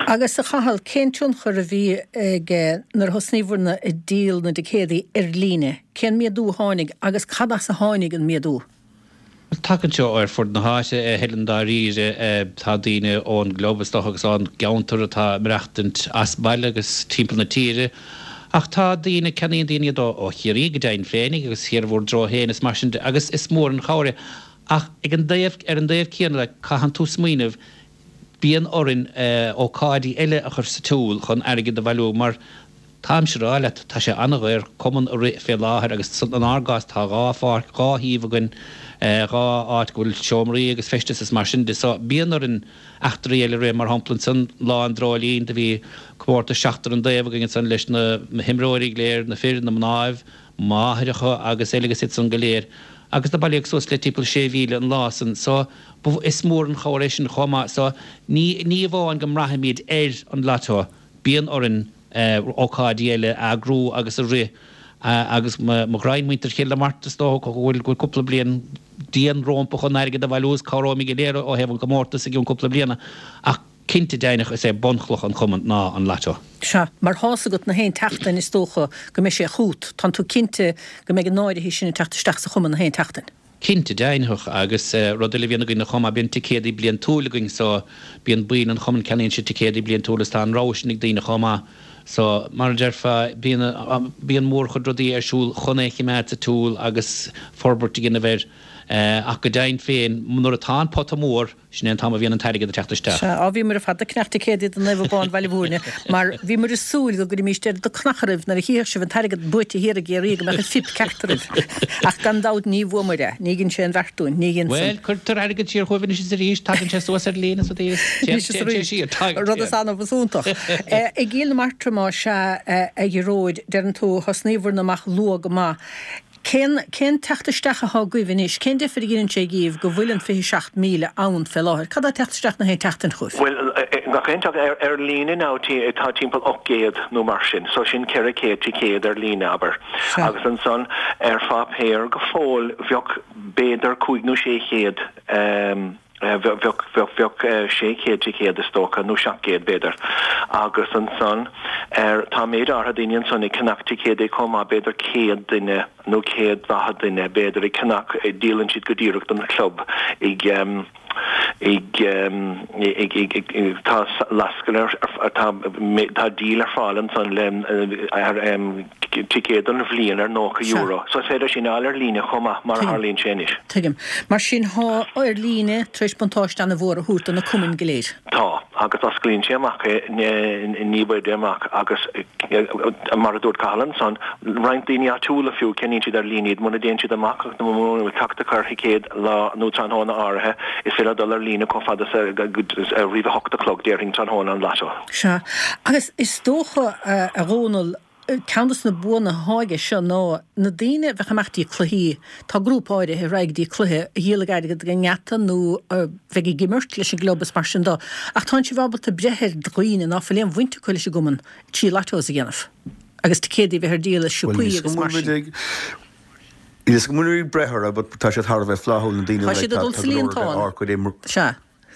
Agus a Chathail, cén tionchar a bhí ag nuair a thosnaíobhairne ag díol na dticéadaí ar líne? Cén méadú a tháinig agus cad as a tháinig an méadú? Tagann sé ar fud na háite, a Helen, dáiríre. Tá daoine ón gclub is dócha agus ón gceantar atá ag maireachtaint as baile agus timpeall na tíre. Ach tá daoine, ceannaíonn daoine iad ó Chiarraí go deimhin féinig agus thiar bhur dtreo féin is mar sin de agus is mór an chabhair é. Ach ag an dtaobh, ar an dtaobh céanna de, caitheann tú smaoineamh, bíonn orainn ócáidí eile a chur sa tsiúl chun airgead a bhailiú mar táimse a rá leat, tá sé an-dhaor cumann a rith fé láthair agus inár gcás tá dhá pháirc, dhá shuíomh againn, dhá áit go bhfuil seomraí agus feisteas is mar sin de so bíonn orainn eachtraí eile a rith, mar shampla ansan Lá an Dreoilín do bhí comórtas seachtar an dtaobh againn ansan leis na himreoirí go léir, na fir, na mnáibh, máithreacha agus eile agus iad san go léir agus do bailíodh suas le timpeall sé mhíle an lá san so is mór an chabhair é sin chomh maith so ní ní amháin go mbraithimid ar an lotto bíonn orainn ócáidí eile a eagrú agus a rith agus mo ghraidhin muintir Chill na Martra is dócha go bhfuil go bhfuil cúpla bliain dian rómpa chun airgead a bhailiú is cabhróimid go léir ó thaobh an chomórtais i gcionn cúpla bliana ach cinnte deimhneach is é bunchloch an chumainn ná an lotto. Sea, mar tá's agat na haon tseachtain is dócha go mbeidh sé chút, tánn tú cinnte go mbeidh an áirithe sin ag teacht isteach sa chumann na haon tseachtain. Cinnte deimhneach, agus rud eile a bhíonn againn chomh maith, bíonn ticéadaí bliantúil againn so bíonn baill an chumainn, ceannaíonn siad ticéadaí bliantúil is tá an rogha sin ag daoine chomh maith. So, mar a déarfá, bíonn, bíonn mórchuid rudaí ar siúl chun é a chimeád sa tsiúl agus forbairt a dhéanamh air. Ach go deimhin féin, nuair atá an pota mór, sin é an t-am a bhíonn an t-airgead ag teacht isteach. Sea, á bhíomar ar fad ag ceannach ticéadaí do Naomh Abán Bhaile Mhúirne mar bhíomar ag súil go gcuirfimíst oiread de chnach oraibh nuair a chífeadh sibh an t-airgead buaite thiar i gCiarraí go mbeadh an phip ceart oraibh. Ach gan dabht ní bhuamar é. Ní dhein sé aon bheart dúinn. Ní dhein san. Bhuel, cuirtear airgead siar chugaibh anois is arís, tagann sé suas ar líne is rudaí is téann sé siar. Tagann, Rud is annamh is iontach. I gCill na Martra más ea, a Ghearóid, deireann tú, thosnaíobhairne amach luath go maith. Cén, cén teacht isteach athá agaibh anois? Cén deifir a dheineann sé dhíbh go bhfuil an fiche seacht míle ann fé láthair? Cad tá ag teacht isteach na haon tseachtain chugaibh? Bhuel, gach aon teacht ar, ar líne now tá timpeall ocht gcéad nó mar sin, so sin ceithre chéad ticéad ar líne, abair. Sea. Agus ansan ar pháipéar go fóill bheadh b'fhéidir cúig nó sé chéad, Bheadh, bheadh sé chéad ticéad is dócha, nó seacht gcéad b'fhéidir. Agus ansan ar, tá méid áirithe daoine ansan ag ceannach ticéadaí chomh maith, b'fhéidir céad duine nó céad daichead duine b'fhéidir ag ceannach, díolann siad go díreach don chlub ag, ag, ag, ag, tá lascaine ar, tá, tá díol ar fáil ansan le, ar, ticéad don bhliain ar nócha euro. So is féidir sin a fháil ar líne chomh maith, mar a tharlaíonn sé anois. Tuigim. Mar sin, thá ar líne tar éis buntáiste an-mhór a thabhairt do na cumainn go léir. Tá, agus osclaíonn sé amach é ní b'fhaide amach agus mar a dúirt Cathal ansan, roinnt daoine áitiúla fiú, ceannaíonn siad ar líne iad muna dtéann siad amach nó muna bhfuil teacht acu ar thicéad lá nó tráthnóna áirithe, is féidir dul ar líne chomh fada is roimh a hocht a chlog, déarfainn, tráthnóna an lotto. Sea. Agus is dócha, a Dhónaill, Ceann dos na buanna athá aige seo ná na daoine a bheadh ag imeacht dtí cluichí, tá grúpa áirithe a raghaidh dtí cluiche a dhíolfaidh airgead ag an ngeata nó a bheidh ag imirt leis an gclub is mar sin dó. Ach tánn sibh ábalta breith ar dhaoine ná fuil aon bhaint acu leis an gcumann trí lottos a dhéanamh agus ticéadaí a bheith ar díol i Bhuel, siopaí níl agus mar go bhfuil sin. muid ag, níl go bhfuil muid ag breith orthu but tá siad thar a bheith flaithiúil na daoine Tá like siad ag tá dul tá sa go leor de líontán. ár gcuid imr Sea.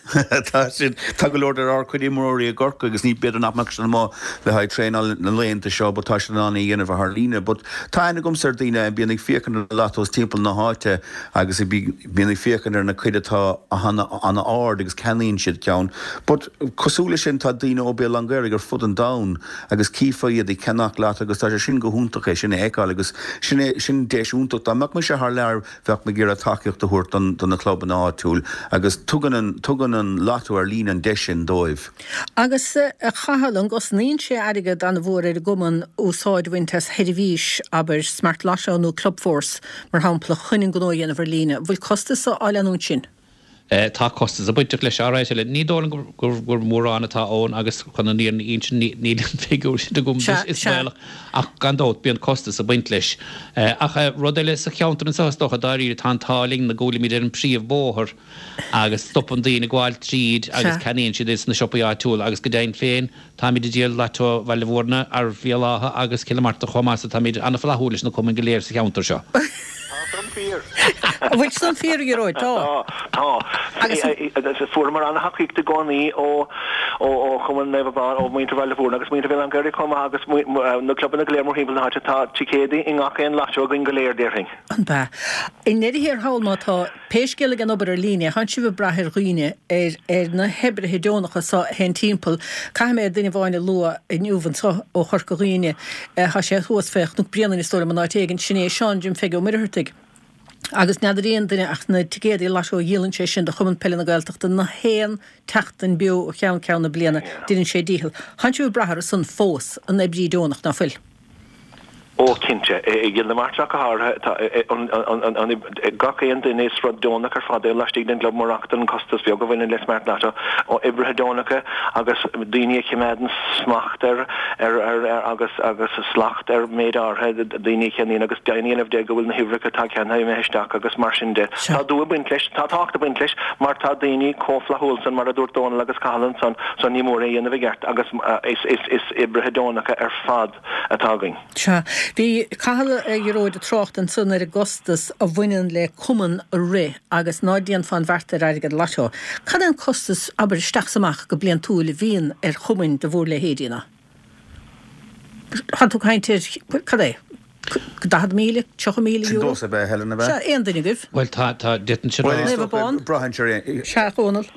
Tá siad, tá go leor de ár gcuid imreoirí i gCorcaigh agus ní, b'fhéidir nach mbeadh siad amuigh le haghaidh traenáil na laethanta seo but tá siad in ann é a dhéanamh thar líne. But tá aithne agamsa ar daoine a bíonn ag féachaint ar na lottos timpeall na háite agus a bíonn ag féachaint ar na cuid atá an-ard agus ceannaíonn siad ceann. But cosúil leis sin tá daoine ó Béal an Ghaorthaidh ar fud an domhain agus cífeá iad ag ceannach lotto agus tá sé sin go hiontach é sin a fheiceáil agus sin é, sin deis iontach. Dá mbeadh mise thar lear bheadh mé ag iarraidh tacaíocht a thabhairt don, do na clubanna áitiúil agus tugann an, tugann an lotto ar líne an deis sin dóibh. Agus a Chathail, an gcosnaíonn sé airgead an-mhór ar an gcumann úsáid a bhaint as sheirbhís, abair, Smart Lotto nó Clubforce, mar shampla, chun an gnó a dhéanamh ar líne? An bhfuil costas á leanúint sin? Tá costas ag bainteach leis alright eile. Ní dóigh liom gur gur mórán atá ann agus chun an fhírinne a insint níl an figiúr sin agam is baolach ach gan dabht bíonn costas ag baint leis. Ach rud eile sa cheantar anseo is dócha dáiríre tá an t-ádh linn go bhfuilimid ar an príomhbhóthar agus stopann daoine ag gabháil tríd agus ceannaíonn siad ins na siopaí áitiúla agus go deimhin féin táimid ag díol Lotto Bhaile Bhúirne ar Bhéal Átha agus Cill na Martra chomh maith so táimid an-fhlaithiúil leis na cumainn go léir sa cheantar seo. Tá san fíor. An bhfuil san fíor, a Ghearóid? Tá. Tá. Agus fuaireamar an-thacaíocht i gcónaí ó ó Chumann Naomh Abán, ó mhuintir Bhaile Bhúirne agus muintir Bhéal Átha an Ghaorthaidh chomh maith agus na clubanna go léir mórthimpeall na háite. Tá ticéadaí i ngach aon lotto againn go léir, déarfainn. An b'ea? I ndeireadh thiar thall má tá pé scéal ag an obair ar líne, thánn sibh ag brath ar dhaoine, ar ar na hoibrithe deonacha so a théann timpeall. Caithfidh mé duine amháin a lua inniu anseo ó Chorca Dhuibhne. Tá sé thuas fé Chnoc Bréanainn is dóigh liom an áit éigin. Sin é Seán Jim Pheige Ó Muircheartaigh. Agus n'fheadar aon duine ach na ticéadaí lotto a dhíolann sé sin do Chumann Peile na Gaeltachta na haon tseachtain beo ó cheann ceann na bliana, deineann sé a dhícheall. Thánn sibh ag brath orthu san fós, an oibrí deonach, ná fuil? Ó, cinnte. I gCill na Martra ach go háirithe, tá gach aon duine, is rud deonach ar fad é laistigh den gclub murach don chostas beag a bhaineann le Smart Lotto, ó oibrithe deonacha agus daoine a choimeádann smacht ar agus agus slacht ar méid áirithe daoine a cheannaíonn agus deimhin a dhéanamh de go bhfuil na huimhreacha atá ceannaithe imithe isteach agus mar sin de. Tá dua ag baint leis, tá tábhacht ag baint leis mar tá daoine chomh flaithiúil san mar a dúirt Dónal agus Cathal ansan so ní mór é a dhéanamh i gceart agus is oibrithe deonacha ar fad atá againn. Sea. Bhí Cathal, a Ghearóid, ag trácht ansan ar an gcostas a bhaineann le cumann a rith agus ná déanfá an bheart ar airgead Lotto. Cad é an costas, abair, isteach 's amach go bliantúil a bhíonn ar chumainn de bhúr leithéidí ná? Tá tú ag caint ar, cad é, daichead míle, tríocha míle Sin euro? domhsa ab ea, Helen, ab ea? Sea, aon duine agaibh? Bhuel, tá, tá, d'fhéadfainnse Bhuel, rá. is Naomh dócha, Abán? braitheann sé ar, Sea, a Dhónaill.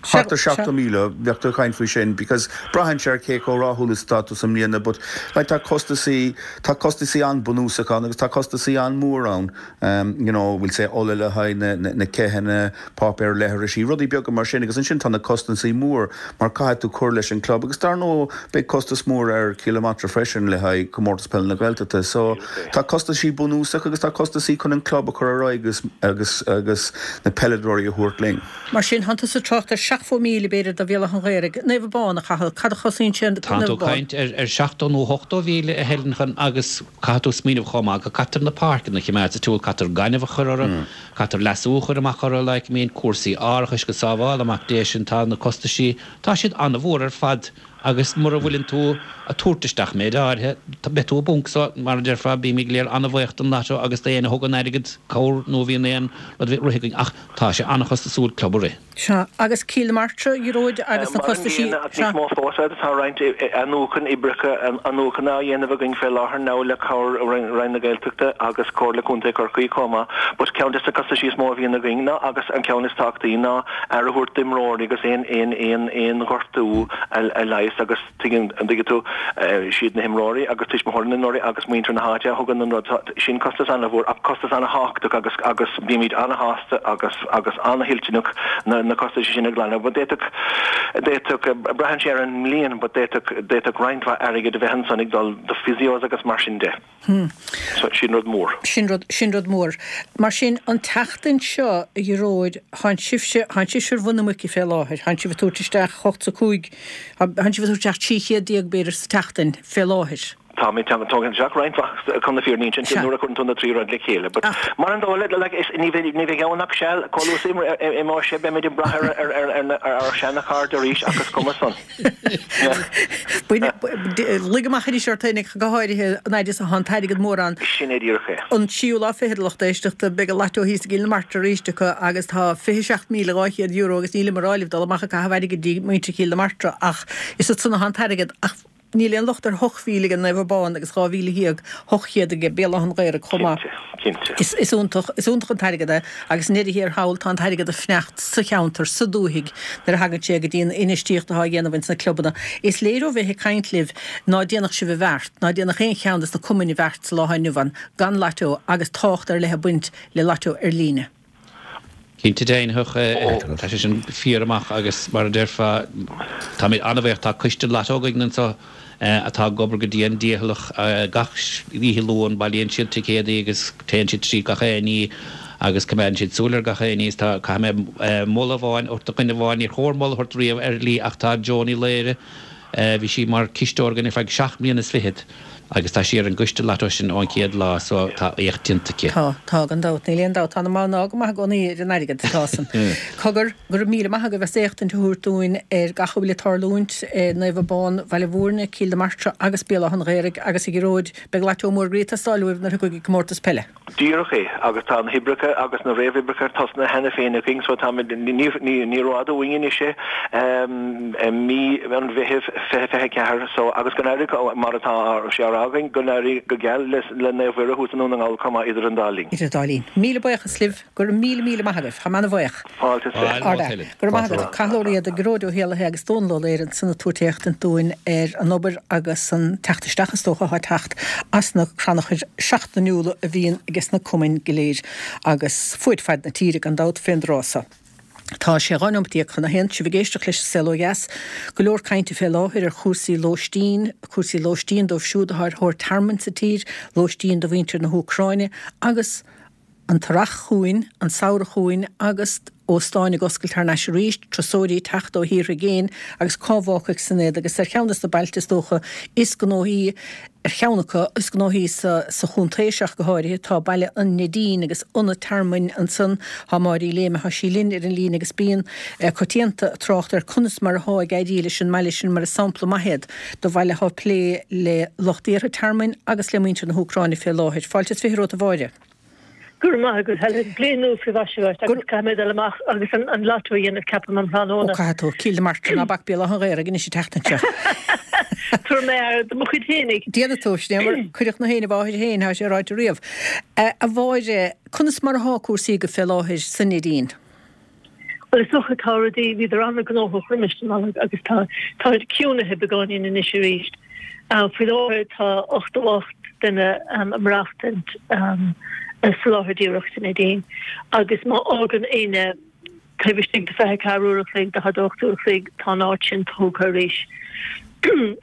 Thart ar seachtó míle, bheadh tú ag caint faoi sin because braitheann sé ar cé chomh rathúil is atá tú sa mbliana but like tá costasaí, tá costasaí an-bunúsach ann agus tá costasaí an-mhór ann um you know we'll say ola le haghaidh na, na, na ceitheanna, páipéar leithrisí, rudaí beaga mar sin agus ansin tá na costasaí mór mar caithfidh tú cur leis an club agus dar ndóigh beidh costas mór ar Chill na Martra freisin le haghaidh Comórtas Peile na Gaeltachta so tá costasaí bunúsach agus tá costasaí chun an club a chur ar aghaidh agus, agus, agus na peileadóirí a thabhairt linn. Mar sin, thánn tusa ag trácht ar seachtó míle, b'fhéidir, do Bhéal Átha an Ghaorthaidh. Naomh Abán, a Chathail, cad a chosnaíonn sé Tánn Naomh tú ag Abán? caint ar ar seachtó nó ochtó mhíle, a Helen, chun agus caithfidh tú smaoineamh chomh maith go gcaitear na páirceanna a choimeád sa tsiúl, caitear gaineamh a chur orthu, caitear leasú a chur amach orthu, like, I mean, cúrsaí árachais go sábhála Mac Dé sin, tá na costaisí, tá siad an-mhór ar fad agus mura bhfuileann tú a' tabhairt isteach méid áirithe, beidh tú i bponc so, mar a déarfá, bímid go léir an-bhaoch don Lotto agus d'éinne a thugann airgead, cabhair nó a bhíonn aon rud a rith againn ach tá sé an-chostasúil club a rith. Sea, agus Cill na Martra, a Ghearóid, agus na Mar an costaisí, gcéanna, ach sea. níos mó fós, tá roinnt athnuachan oibreacha athnuachana á dhéanamh againn fé láthair now le cabhair Roinn na Gaeltachta agus Comhairle Contae Chorcaí chomh maith. But ceann des na costaisí is mó a bhíonn againn ná, agus an ceann is tábhachtaí, ná aire a thabhairt d'imreoirí agus aon aon aon aon ghortú a leigheas agus tuigeann, an dtuigeann tú, siad na himreoirí agus tuismitheoirí na n-imreoirí agus muintir na háite a thugann an rud. Sin costas an-mhór ach costas an-thábhachtach agus agus bímid an-shásta agus agus an-thoilteanach na na costaisí sin a ghlanadh. But d'fhéadfadh d'fhéadfadh braitheann sé ar an mbliain but d'fhéadfadh d'fhéadfadh roinnt mhaith airgid a bheith ansan ag dul do physios agus mar sin de. So sin rud mór. Sin rud sin rud mór. Mar sin an tseachtain seo a Ghearóid thánn sibhse thánn sibhse ar mhuin na muice fé láthair, thánn sibh ag tabhairt isteach hocht 's a cúig thánn sibh ag tabhairt isteach trí chéad déag b'fhéidir sa tseachtain fé láthair. Táimid ag tógaint isteach roinnt mhaith chun na fírinne a insint nuair a chuireann tú na trí rud le chéile. But mar an dóigh le, like, is, ní bheidh, ní bheidh ann ach seal, chomh luath is a imeoidh sé, beimid ag brath ar, ar, ar, ar, ar ár seana-chairde arís ach is cuma san. Bain, luigh amach anois ort féinig, go háirithe an fhaid is atá an t-airgead mór ann. Sin é díreach é. An tríú lá fichead, a lucht éisteachta, beidh an Lotto thíos i gCill na Martra arís acu agus tá fiche seacht míle dhá chéad euro agus nílim ag rá libh dul amach ag caitheamh airgid dtí muintir Chill na Martra ach is ansan atá an t-airgead ach Níl aon locht ar hocht mhíle ag Naomh Abán agus dhá mhíle dhéag hocht chéad ag Béal Átha an Ghaorthaidh chomh maith. Cinnte, cinnte. Is is iontach, is iontach an t-airgead é agus i ndeireadh thiar thall tá an t-airgead ag fanacht sa cheantar, sa dúthaigh nuair a thagann sé go dtí an infheistíocht atá á dhéanamh ins na clubanna. Is léir ó bheith ag caint libh ná déanfadh sibh an bheart, ná déanfadh aon cheann des na cumainn an bheart sa lá atá inniu ann gan Lotto agus tábhacht ar leith ag baint le Lotto ar líne. Cinnte deimhneach, tá sé sin fíor amach agus mar a déarfá, táimid an-bhuíoch, tá coiste lató againn anseo atá ag obair go dian dícheallach gach oíche Luain, bailíonn siad ticéadaí agus téann siad tríd gach aon ní agus coimeádann siad súil ar gach aon ní. Tá, caithfidh mé moladh amháin a thabhairt do dhuine amháin, níor chóir moladh a thabhairt riamh ar shlí ach tá Joan Uí Laoire, Bhí sí mar cisteoir againn ar feadh seacht mbliana is fichead agus tá sí ar an gcoiste lató sin ón chéad lá so tá éacht déanta aici. Tá, tá, gan dabht, níl aon dabht. Tá na mná go maith i gcónaí ar an airgead, tá san. Cogar, go raibh míle maith agaibh as éachtaint a thabhairt dúinn ar gach a bhfuil ag tarlúint i Naomh Abán, Bhaile Mhúirne, Cill na Martra agus Béal Átha an Ghaorthaidh agus a Ghearóid, beidh lató mór groí ag teastáil uaibh nuair a thiocfaidh an comórtas peile. Díreach é, agus tá na hoibreacha agus na réamhoibreacha tosnaithe cheana féin againn, so táimid, ní, ní rófhada uainn anois é, mí an Mheithimh fiche fiche ceathair, so, agus go n-éirí, mar atá sé á rá againn, go n-éirí go geal le Naomh Mhuire thuas i nDún na nGall chomh maith idir an dá linn. Idir an dá linn. Míle buíochas libh, go raibh míle míle maith agaibh, táim ana-bhuíoch. Fáilte is fiche. Ard-fhear. Go raibh maith agat. Cathal Ó Riada, Gearóid Ó hÉallaithe agus Dónal Ó Laoire ansan ag tabhairt éachtaint dúinn ar an obair agus an teacht isteach is dócha atá ag teacht as na crannchuir seachtainiúla a bhíonn ages na cumainn go léir agus fuaid faid na tíre gan dabht fén dtráth so. Tá sé dhá neomat déag chun a haon, sibh ag éisteacht leis an Saol Ó Dheas. Go leor cainte fé láthair ar chúrsaí lóistín, cúrsaí lóistín dóibh siúd atá ar thóir tearmainn sa tír, lóistín do mhuintir na hÚcráine agus an t-earrach chugainn, an samhradh chugainn agus óstáin ag oscailt thar n-ais arís, turasóirí ag teacht ó thíortha i gcéin agus cá bhfágfaidh san iad agus ar cheann des na bailte is dócha is gnóthaí, ar cheann acu is gnóthaí sa sa chontae seo ach go háirithe, tá baile an Neidín agus ionad tearmainn ansan. Tá Máire Uí Léime, tá sí linn ar an líne agus bíonn coitianta ag trácht ar conas mar athá ag éirí leis an mbaile sin mar is sampla maith iad do bhaile athá ag plé le lucht iarrtha tearmainn agus le muintir na hÚcráine fé láthair. Fáilte is fiche romhat a Mháire. Go raibh maith agat, Helen. Bliain nua faoi mhaise dhuit agus caithfidh mé dul amach agus an lotto a dhéanamh, ceapaim, um thráthnóna. Ó, caithfidh tú. Cill na Martra, ná bac Béal Átha an Ghaorthaidh anois an tseachtain seo. Tabharfaidh mé aire do mo chuid fhéinig. Déanfaidh tú, sin é mar cuireadh na héin i bhfáthair féin, tá sé ráite riamh. A Mháire, conas mar athá cúrsaí agaibh fé láthair sa Neidín? Bhuel, is dócha tá rudaí, bhíodar an-ghnóthach roimis an Nollaig agus tá, táid ciúnaithe beagáinín anois arís. Faoi láthair tá ochtó ocht duine ag maireachtaint sa láthair díreach sa Neidín agus má fhágann éinne taobh istigh de fiche ceathair uair a chloig, daichead a hocht uair a chloig, tá an áit sin tógtha arís.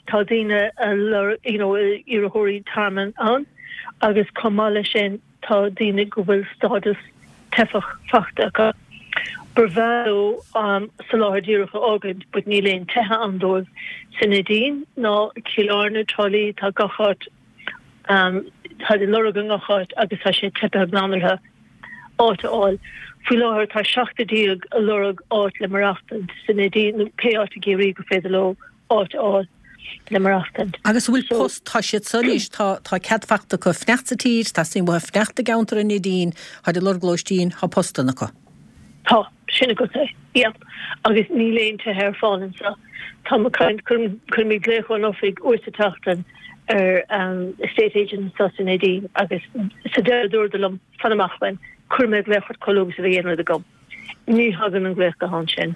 Tá daoine a lorg, you know, iarrthóirí tearmainn ann agus chomh maith leis sin, Tá daoine go bhfuil stádas teifeach fachta acu. Ba bhreá leo soláthar díreach a fhágaint but níl aon tithe ann dóibh sa Neidín ná Cill Airne, Trá Lí, tá gach áit, táid ag lorg i ngach áit agus tá sé teipithe glan orthu áit a fháil. Faoi láthair tá seachtar déag ag lorg áit le maireachtaint sa Neidín nó pé áit i gCiarraí gur féidir leo áit a fháil le maireachtaint. Agus an bhfuil post, tá siad so anois, tá, tá cead fachta acu fanacht sa tír, teastaíonn uathu fanacht i gceantar an Neidín, táid ag lorg lóistín, tá postanna acu. Tá, sin agat é, yeah. Agus níl aon tithe ar fáil anseo. Táim ag caint, cuirim, cuirimid glaoch ón oifig uair sa tseachtain ar estate agent anseo sa Neidín agus sa deireadh dúradar liom, fan amach uaim, cuirfidh mé glaoch ort chomh luath agus a bheidh aon rud agam. Ní thagann an glaoch gutháin sin.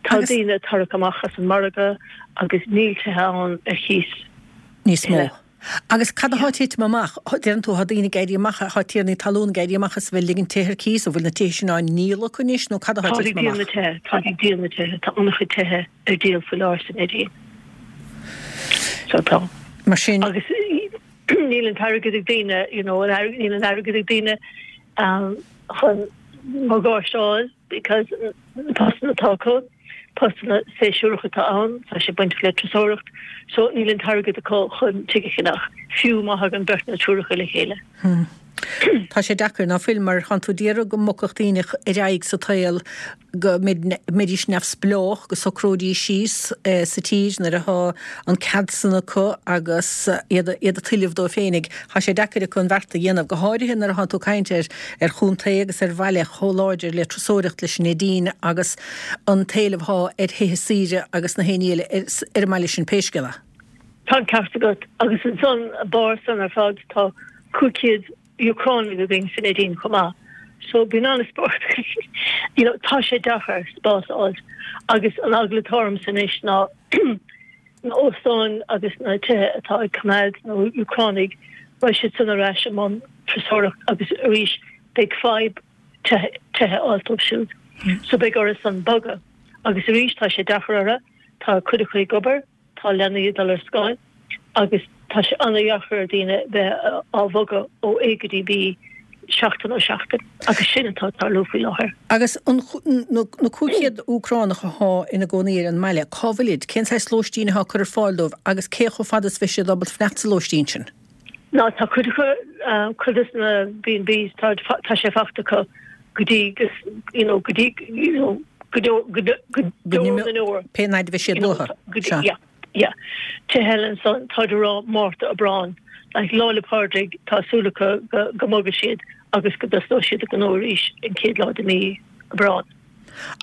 Tá daoine ag tarrac amach as an margadh agus níl tithe ann ar chíos níos mó. Agus cad athá ag titim amach? Deireann tú, thá daoine ag éirí amach, thá tiarnaí talún ag éirí amach as a bheith ag ligint tithe ar cíos, an bhfuil na tithe sin á ndíol acu anois nó cad athá ag Táid ag titim díol na amach? tithe, táid ag díol na tithe, tá an-chuid tithe ar díol faoi láthair sa Neidín. So tá. Mar sin. Agus níl an t-airgead ag daoine, you know, níl an airgead ag daoine chun morgáiste a fháil because na postanna atá acu, postanna séasúracha atá ann, tá sé bainteach le turasóireacht, so níl an t-airgead acu chun tigh a cheannach, fiú má thagann beirt nó triúr acu le chéile. Tá sé deacair, ná fuil, mar tánn tú d'iarraidh go mbogfadh daoine ar aghaidh sa tsaol, go mbeidís neamhspleách, go socróidís síos sa tír nuair athá an cead san acu agus iad iad ag tuilleamh dóibh féinig. Thá sé deacair acu an bheart a dhéanamh, go háirithe nuair athánn tú ag caint ar ar chontae agus ar bhaile chomh láidir le turasóireacht leis an Neidín agus an t-éileamh athá ar thithe saoire agus na haon ní eile ar an mbaile sin pé scéal é. Tá an ceart agat. Agus ansan, barr san ar fad, tá cúig chéad Úcránaigh againn sa Neidín chomh maith. So bíonn an-spórt you know tá sé deacair spás a fháilt agus an eagla atá ormsa anois ná na óstáin agus na tithe atá ag coimeád na Úcránaigh beidh siad san ar ais i mbun turasóireacht agus arís beidh fadhb tithe tithe a fháil dóibh siúd. So beidh orthu san bogadh. Agus arís tá sé deacair orthu, tá cuid acu ag obair, tá leanaí ag dul ar scoil agus tá sé an-dheacair ar daoine bheith á bhogadh ó A go dtí B seachtain ó sheachtain agus sin atá ag tarlú faoi láthair. Agus an na cúig chéad Úcránach athá ina gcónaí ar an mbaile, cá bhfuilid? Cén saghas lóistín athá curtha ar fáil dóibh agus cé chomh fada is bheidh siad ábalta fanacht sa lóistín sin? Ná tá cuid acu, cuid de na B and Bs, tá tá sé fachta acu go dtí go you know go dtí you know go deo go go deo na ndeor. Pé an fhaid a bheidh siad You know uathu. go dtí Sea. yeah yeah. Tithe eile ansan táid ag rá Márta Aibreán like Lá 'le Pádraig tá súil acu go go mbogfaidh siad agus go dtosnóidh siad a ngnó arís an chéad lá de mí Aibreán.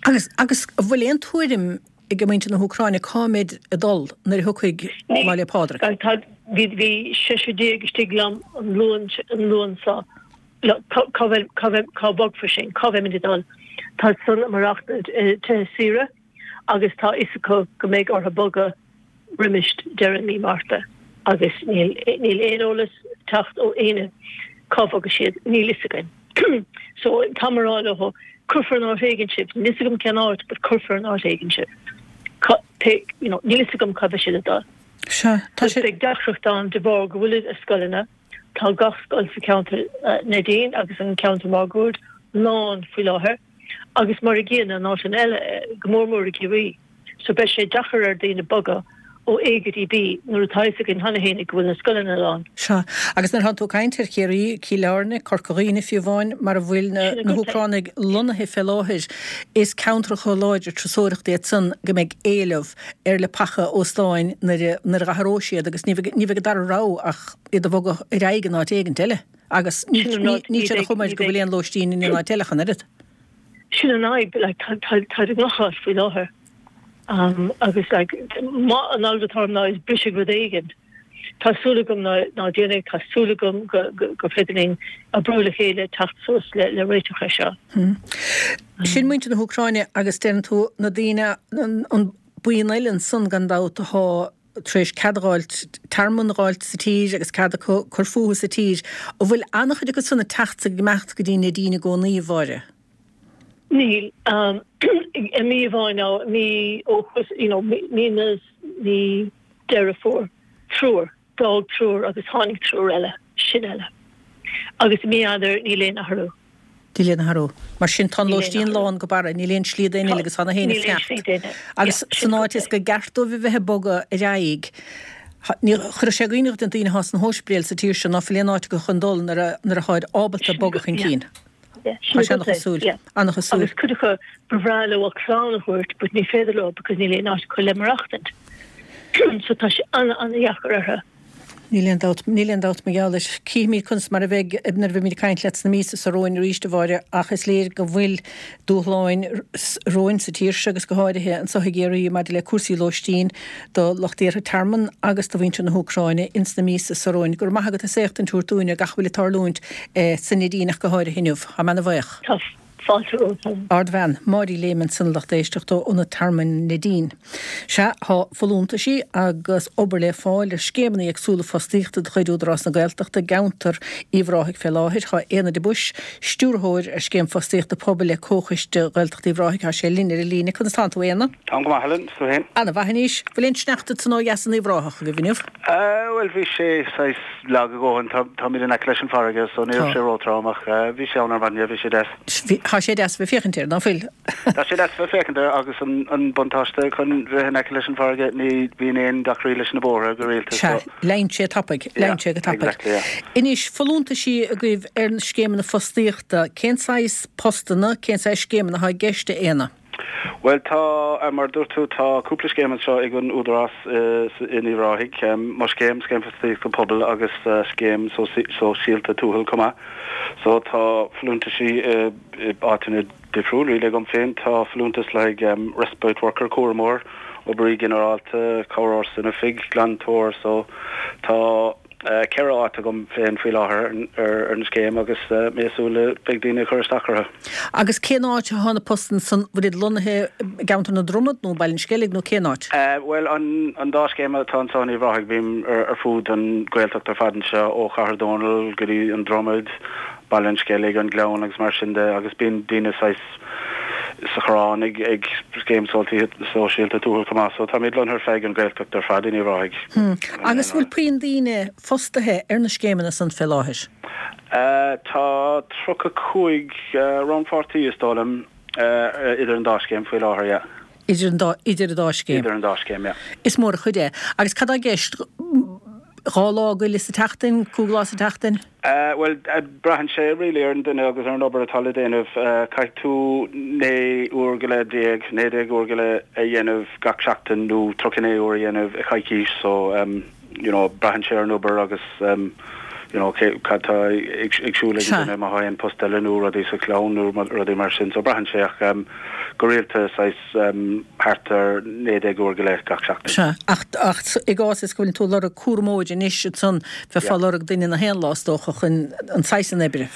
Agus agus an bhfuil aon tuairim ag muintir na hÚcráine cá mbeid ag dul nuair a thiocfaidh Lá 'le Pádraig? Tá bhí bhí seisear déag istigh liom an Luan an Luan seo cá cá bhfuil cá bhfuil cá bhogfar sinn cá mbeimid ag dul. Tá san ag maireachtaint i tithe saoire agus tá fhios acu go mbeidh orthu bogadh roimis deireadh mí Márta agus níl níl aon eolas ag teacht ó éinne cá bhogfaidh siad, níl fhios againn. So táim ag rá leo cuirfear in áit éigin sibh, níl fhios agam cén áit but cuirfear in áit éigin sibh. Cá pé you know níl fhios agam cá mbeidh siad ag dul. Sea, tá sé. Beidh deacracht ann de bharr go bhfuilid i scoileanna, tá gach scoil sa cheantar Neidín agus an ceantar máguaird lán faoi láthair agus mar a gcéanna in áiteanna eile, go mór mór i gCiarraí. So beidh sé deacair ar daoine bogadh ó A go dtí B nuair atá fhios againn cheana féin go bhfuil na scoileanna lán. Sea, agus nuair atánn tú ag caint ar Chiarraí, Cill Airne, Corca Dhuibhne fiú amháin, mar a bhfuil na Sin agat é. hÚcránaigh lonnaithe fé láthair, is ceantracha láidre turasóireachta iad san go mbeidh éileamh ar leapacha óstáin nuair a nuair a dh'athróidh siad agus ní bheidh ní bheidh an dara rogha ach iad a bhogadh ar aghaidh in áit éigint eile agus ní Sin an ní rud, níl ní sé de bheidh chuma air ní go bhfuil bheidh aon lóistín in aon áit eile ach an oiread. Sin an fhadhb, like tá tá táid i ngach áit faoi láthair. Um, agus like má an eagla atá orm ná is brisfidh rud éigin. Tá súil agam ná ná déanfaidh, tá súil agam go go gur féidir linn oibriú le chéile teacht suas le le réiteach air seo. Sin muintir na hÚcráine agus deireann tú na daoine an an buíon eile ansan gan dabht athá tar éis cead a dh'fháilt, tearmann a dh'fháilt sa tír agus cead acu cur fúthu sa tír. An bhfuil an-chuid acu san ag teacht ag imeacht go dtí Neidín i gcónaí, a Mháire? Níl. Um, i mí amháin nó mí ó you know, mí na mí Deireadh Fómhair triúr, d'fhág triúr agus tháinig triúr eile, sin eile. Agus i mí Eanáir níl aon athrú. Níl aon athrú. Mar sin tá an Níl aon lóistín athrú. lán go barra, níl aon slí d'aon Tá uile agus tá na héinne níl aon fanacht. slí d'aon Agus yeah, sin san agat áit is é. go gceart dóibh a bheith ag bogadh ar aghaidh, ní chuirfeadh sé ionadh ar daoine athá sna hóispidéil sa tír seo ná fuil aon áit acu chun dul nuair a nuair atháid ábalta Sin bogadh agat, chun yeah. cinn. Yeah, Tá sin sé agat é, an-chosúil, yeah. an-chosúil. Agus cuid acu ba bhreá leo a clann a thabhairt, but ní féidir leo because níl aon áit acu le maireachtaint. So tá sé an-an-dheacair orthu. Níl aon dabht, níl aon dabht mar gheall air. Cífimid conas mar a bheidh nuair a bheimid ag caint leat sna míosa seo romhainn arís, a Mháire, ach is léir go bhfuil dúshláin romhainn sa tír seo agus go háirithe anseo i gCiarraí maidir le cúrsaí lóistín do lucht iarrtha tearmainn agus do mhuintir na hÚcráine ins na míosa seo romhainn. Go raibh maith agat as éachtaint a thabhairt dúinn ar gach a bhfuil ag tarlúint sa Neidín ach go háirithe inniu. Tá mé ana-bhuíoch. Tá fáilte romhat, Helen. Ardbhean, Máirí Lehman san lucht éisteachta ó Ionad Tearmainn Neidín. Sea, tá folúntaisí agus obair le fáil ar scéimeanna éagsúla fostaíochta de chuid Údarás na Gaeltachta i gceantar Uíbh Ráthaigh fé láthair. Tá Éanna de Buis, Stiúrthóir ar Scéim Fostaíochta Pobail le Comhchoiste Ghaeltacht Uíbh Ráthaigh, tá sé linn ar an líne. Conas tánn tú, Éanna? Táim go maith, Helen, is tú féin? Ana-mhaith anois. Bhfuil aon sneachta san ó dheas in Uíbh Ráthach agaibh inniu? Bhuel, bhí sé saghas lag a dhóthain. Tá, táimid in aice leis an bhfarraige, so ní raibh Tá. sé róthrom ach bhí sé ann ar maidin, yeah, bhí sé deas. Bhí, tá sé deas a bheith féachaint air, ná fuil? Tá sé deas a bheith féachaint air agus an, an buntáiste chun bheith in aice leis an bhfarraige, ní bhíonn aon deacraí leis na bóithre go rialta, Sea, so. leánn sé tapaidh, Yeah, leánn sé go tapaidh. exactly, yeah. Anois, folúntaisí agaibh ar na scéimeanna fostaíochta, cén saghas postanna, cén saghas scéimeanna atá i gceist, a Éanna? Bhuel, tá, mar a dúirt tú, tá cúpla scéim anseo ag an Údarás in Uíbh Ráthaigh, Mo Scéim, Scéim Fostaíochta Pobail agus Scéim Sóisialta Tuathail chomh maith. So tá folúntaisí i áiteanna difriúil, really agam féin. Tá folúntas le haghaidh respite worker, cúramóir, oibrí ginearálta, cabhróir san oifig, glantóir, so tá ceithre áit agam féin faoi láthair ar an scéim agus mé ag súil le beidh daoine ag cur isteach orthu. Agus cén áit atá na postanna san, bhfuil iad lonnaithe i gceantar na Dromad nó Baile an Sceilg nó cén áit? Bhuel an dá scéim atá anseo in Uíbh Ráthaigh, bím ar fud an Ghaeltacht ar fad anseo ó Chathair Dónall go dtí an Dromad, Baile an Sceilg, an Gleann agus mar sin de agus bíonn daoine saghas sa Choireán ag ag Scéim Sóisialta Tuathail chomh maith so táimid lonnaithe ar feadh an Ghaeltacht ar fad in Uíbh Ráthaigh. Agus bhfuil puinn daoine fostaithe ar na scéimeanna san fé láthair? Tá tríocha cúig rannpháirtí is dóigh liom idir an dá scéim faoi láthair, yeah. Idir an dá, idir an dá scéim? Idir an dá scéim, yeah. Is mór an chuid é. Agus cad tá i gceist? Dhá lá go leith sa tseachtain? Cúig lá sa tseachtain? Bhuel, braitheann sé really ar an duine agus ar an obair atá le déanamh. Caithfidh tú naoi uair go leith déag, naoi déag uair go leith a dhéanamh gach seachtain nó tríocha naoi uair a dhéanamh i choicís so you know braitheann sé ar an obair agus you know cé cad tá ag ag siúl ag an duine má tá aon post eile nó rudaí sa chlann nó rudaí mar sin so braitheann sé ach go rialta saghas thart ar naoi déag uair go leith gach seachtain. Sea, ach, ach i gcás is go bhfuil tú ag lorg cúramóir anois ansan, bheifeá ag lorg duine na haon lá is dócha chun an saghas san oibre.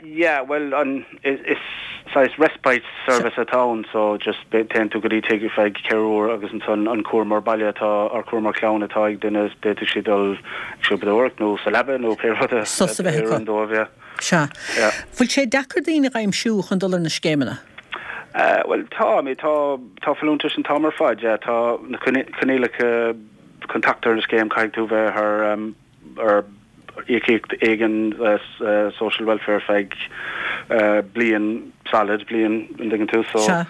Yeah, bhuel an, is saghas respite service atá ann so just téann tú go dtí tigh ar feadh ceithre uair agus ansan an cúramóir baile atá, or cúramóir clainne atá ag duine, d'fhéadfadh siad dul ag siopadóireacht nó sa leaba nó pé rud a Sos a bheith acu. oireann dóibh, yeah. Sea. Yeah. Bhfuil sé deacair daoine a aimsiú chun dul ar na scéimeanna? Bhuel tá, I mean tá, tá folúntais an t-am ar fad, yeah, tá na coinníollacha chun teacht ar an scéim, caithfidh tú bheith ar, ar íocaíocht éigin social welfare ar feadh bliain solid, bliain, an dtuigeann tú, so,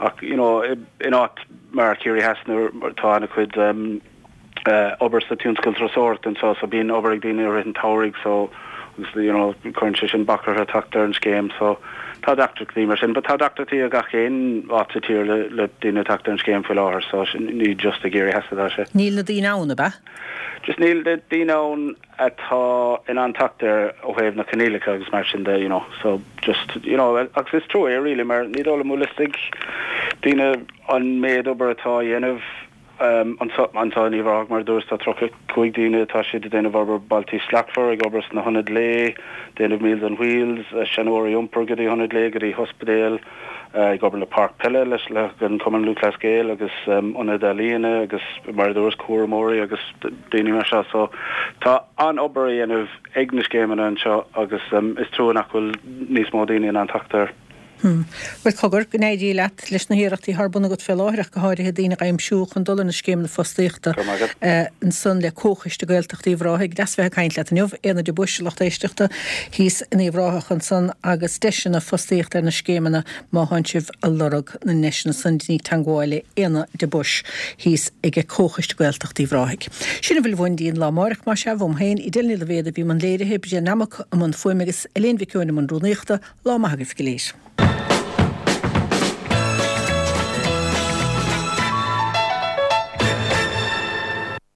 ach you know in áit mar Ciarraí Theas nuair tá ana-chuid obair sa tionscal turasóireachta anseo so bíonn obair ag daoine i rith an tsamhraidh so agus you know cuireann sé sin bac orthu teacht ar an scéim so tá deacrachtaí mar sin but tá deacrachtaí i gach aon áit sa tír le le daoine teacht ar an scéim faoi láthair so sin ní just i gCiarraí Theas atá sé. Níl na daoine ann, ab ea? Just níl na daoine ann atá in ann teacht air ó thaobh na coinníollacha agus mar sin de you know so just you know agus is trua é really mar ní dóigh liom bhfuil fhios ag daoine an méid obair atá á dhéanamh Anseo in Uíbh Ráthaigh, mar a dúras, tá tríocha cúig daoine atá siad ag déanamh obair Bailte Slachtmhara, ag obair sna hionaid lae, déanamh Meals on Wheels, seanóirí a iompar go dtí hionaid lae, go dtí hospidéil, ag obair le páirc peile leis an Cumann Lúthchleas Gael agus ionaid ealaíona agus mar a dúras, cúramóirí agus daoine mar seo. So tá an-obair á dhéanamh ag na scéimeanna anseo agus is trua nach bhfuil níos mó daoine in ann teacht air. Bhuel, cogar, go n-éirí leat leis na hiarrachtaí atá ar bun agat fé láthair ach go háirithe daoine a aimsiú chun dul ar na scéimeanna fostaíochta ansan le Comhchoiste Gaeltachta Uíbh Ráthaigh. Deas bheith ag caint leat inniu, Éanna de Buis, lucht éisteachta thíos in Uíbh Ráthach ansan agus deiseanna fostaíochta ar na scéimeanna má thánn sibh a lorg na ndeiseanna san déanaigí teangmháil le Éanna de Buis thíos ag Comhchoiste Gaeltachta Uíbh Ráthaigh. Sin a bhfuil uainn dtí an lá amáireach, más ea, uaim féin, Edel Ní Loibhéad a bhí i mbun léirithe, Bríd Nammock i mbun fuaime agus Elaine Mhic Eoin i mbun rúnaíochta. Lá maith agaibh go léir.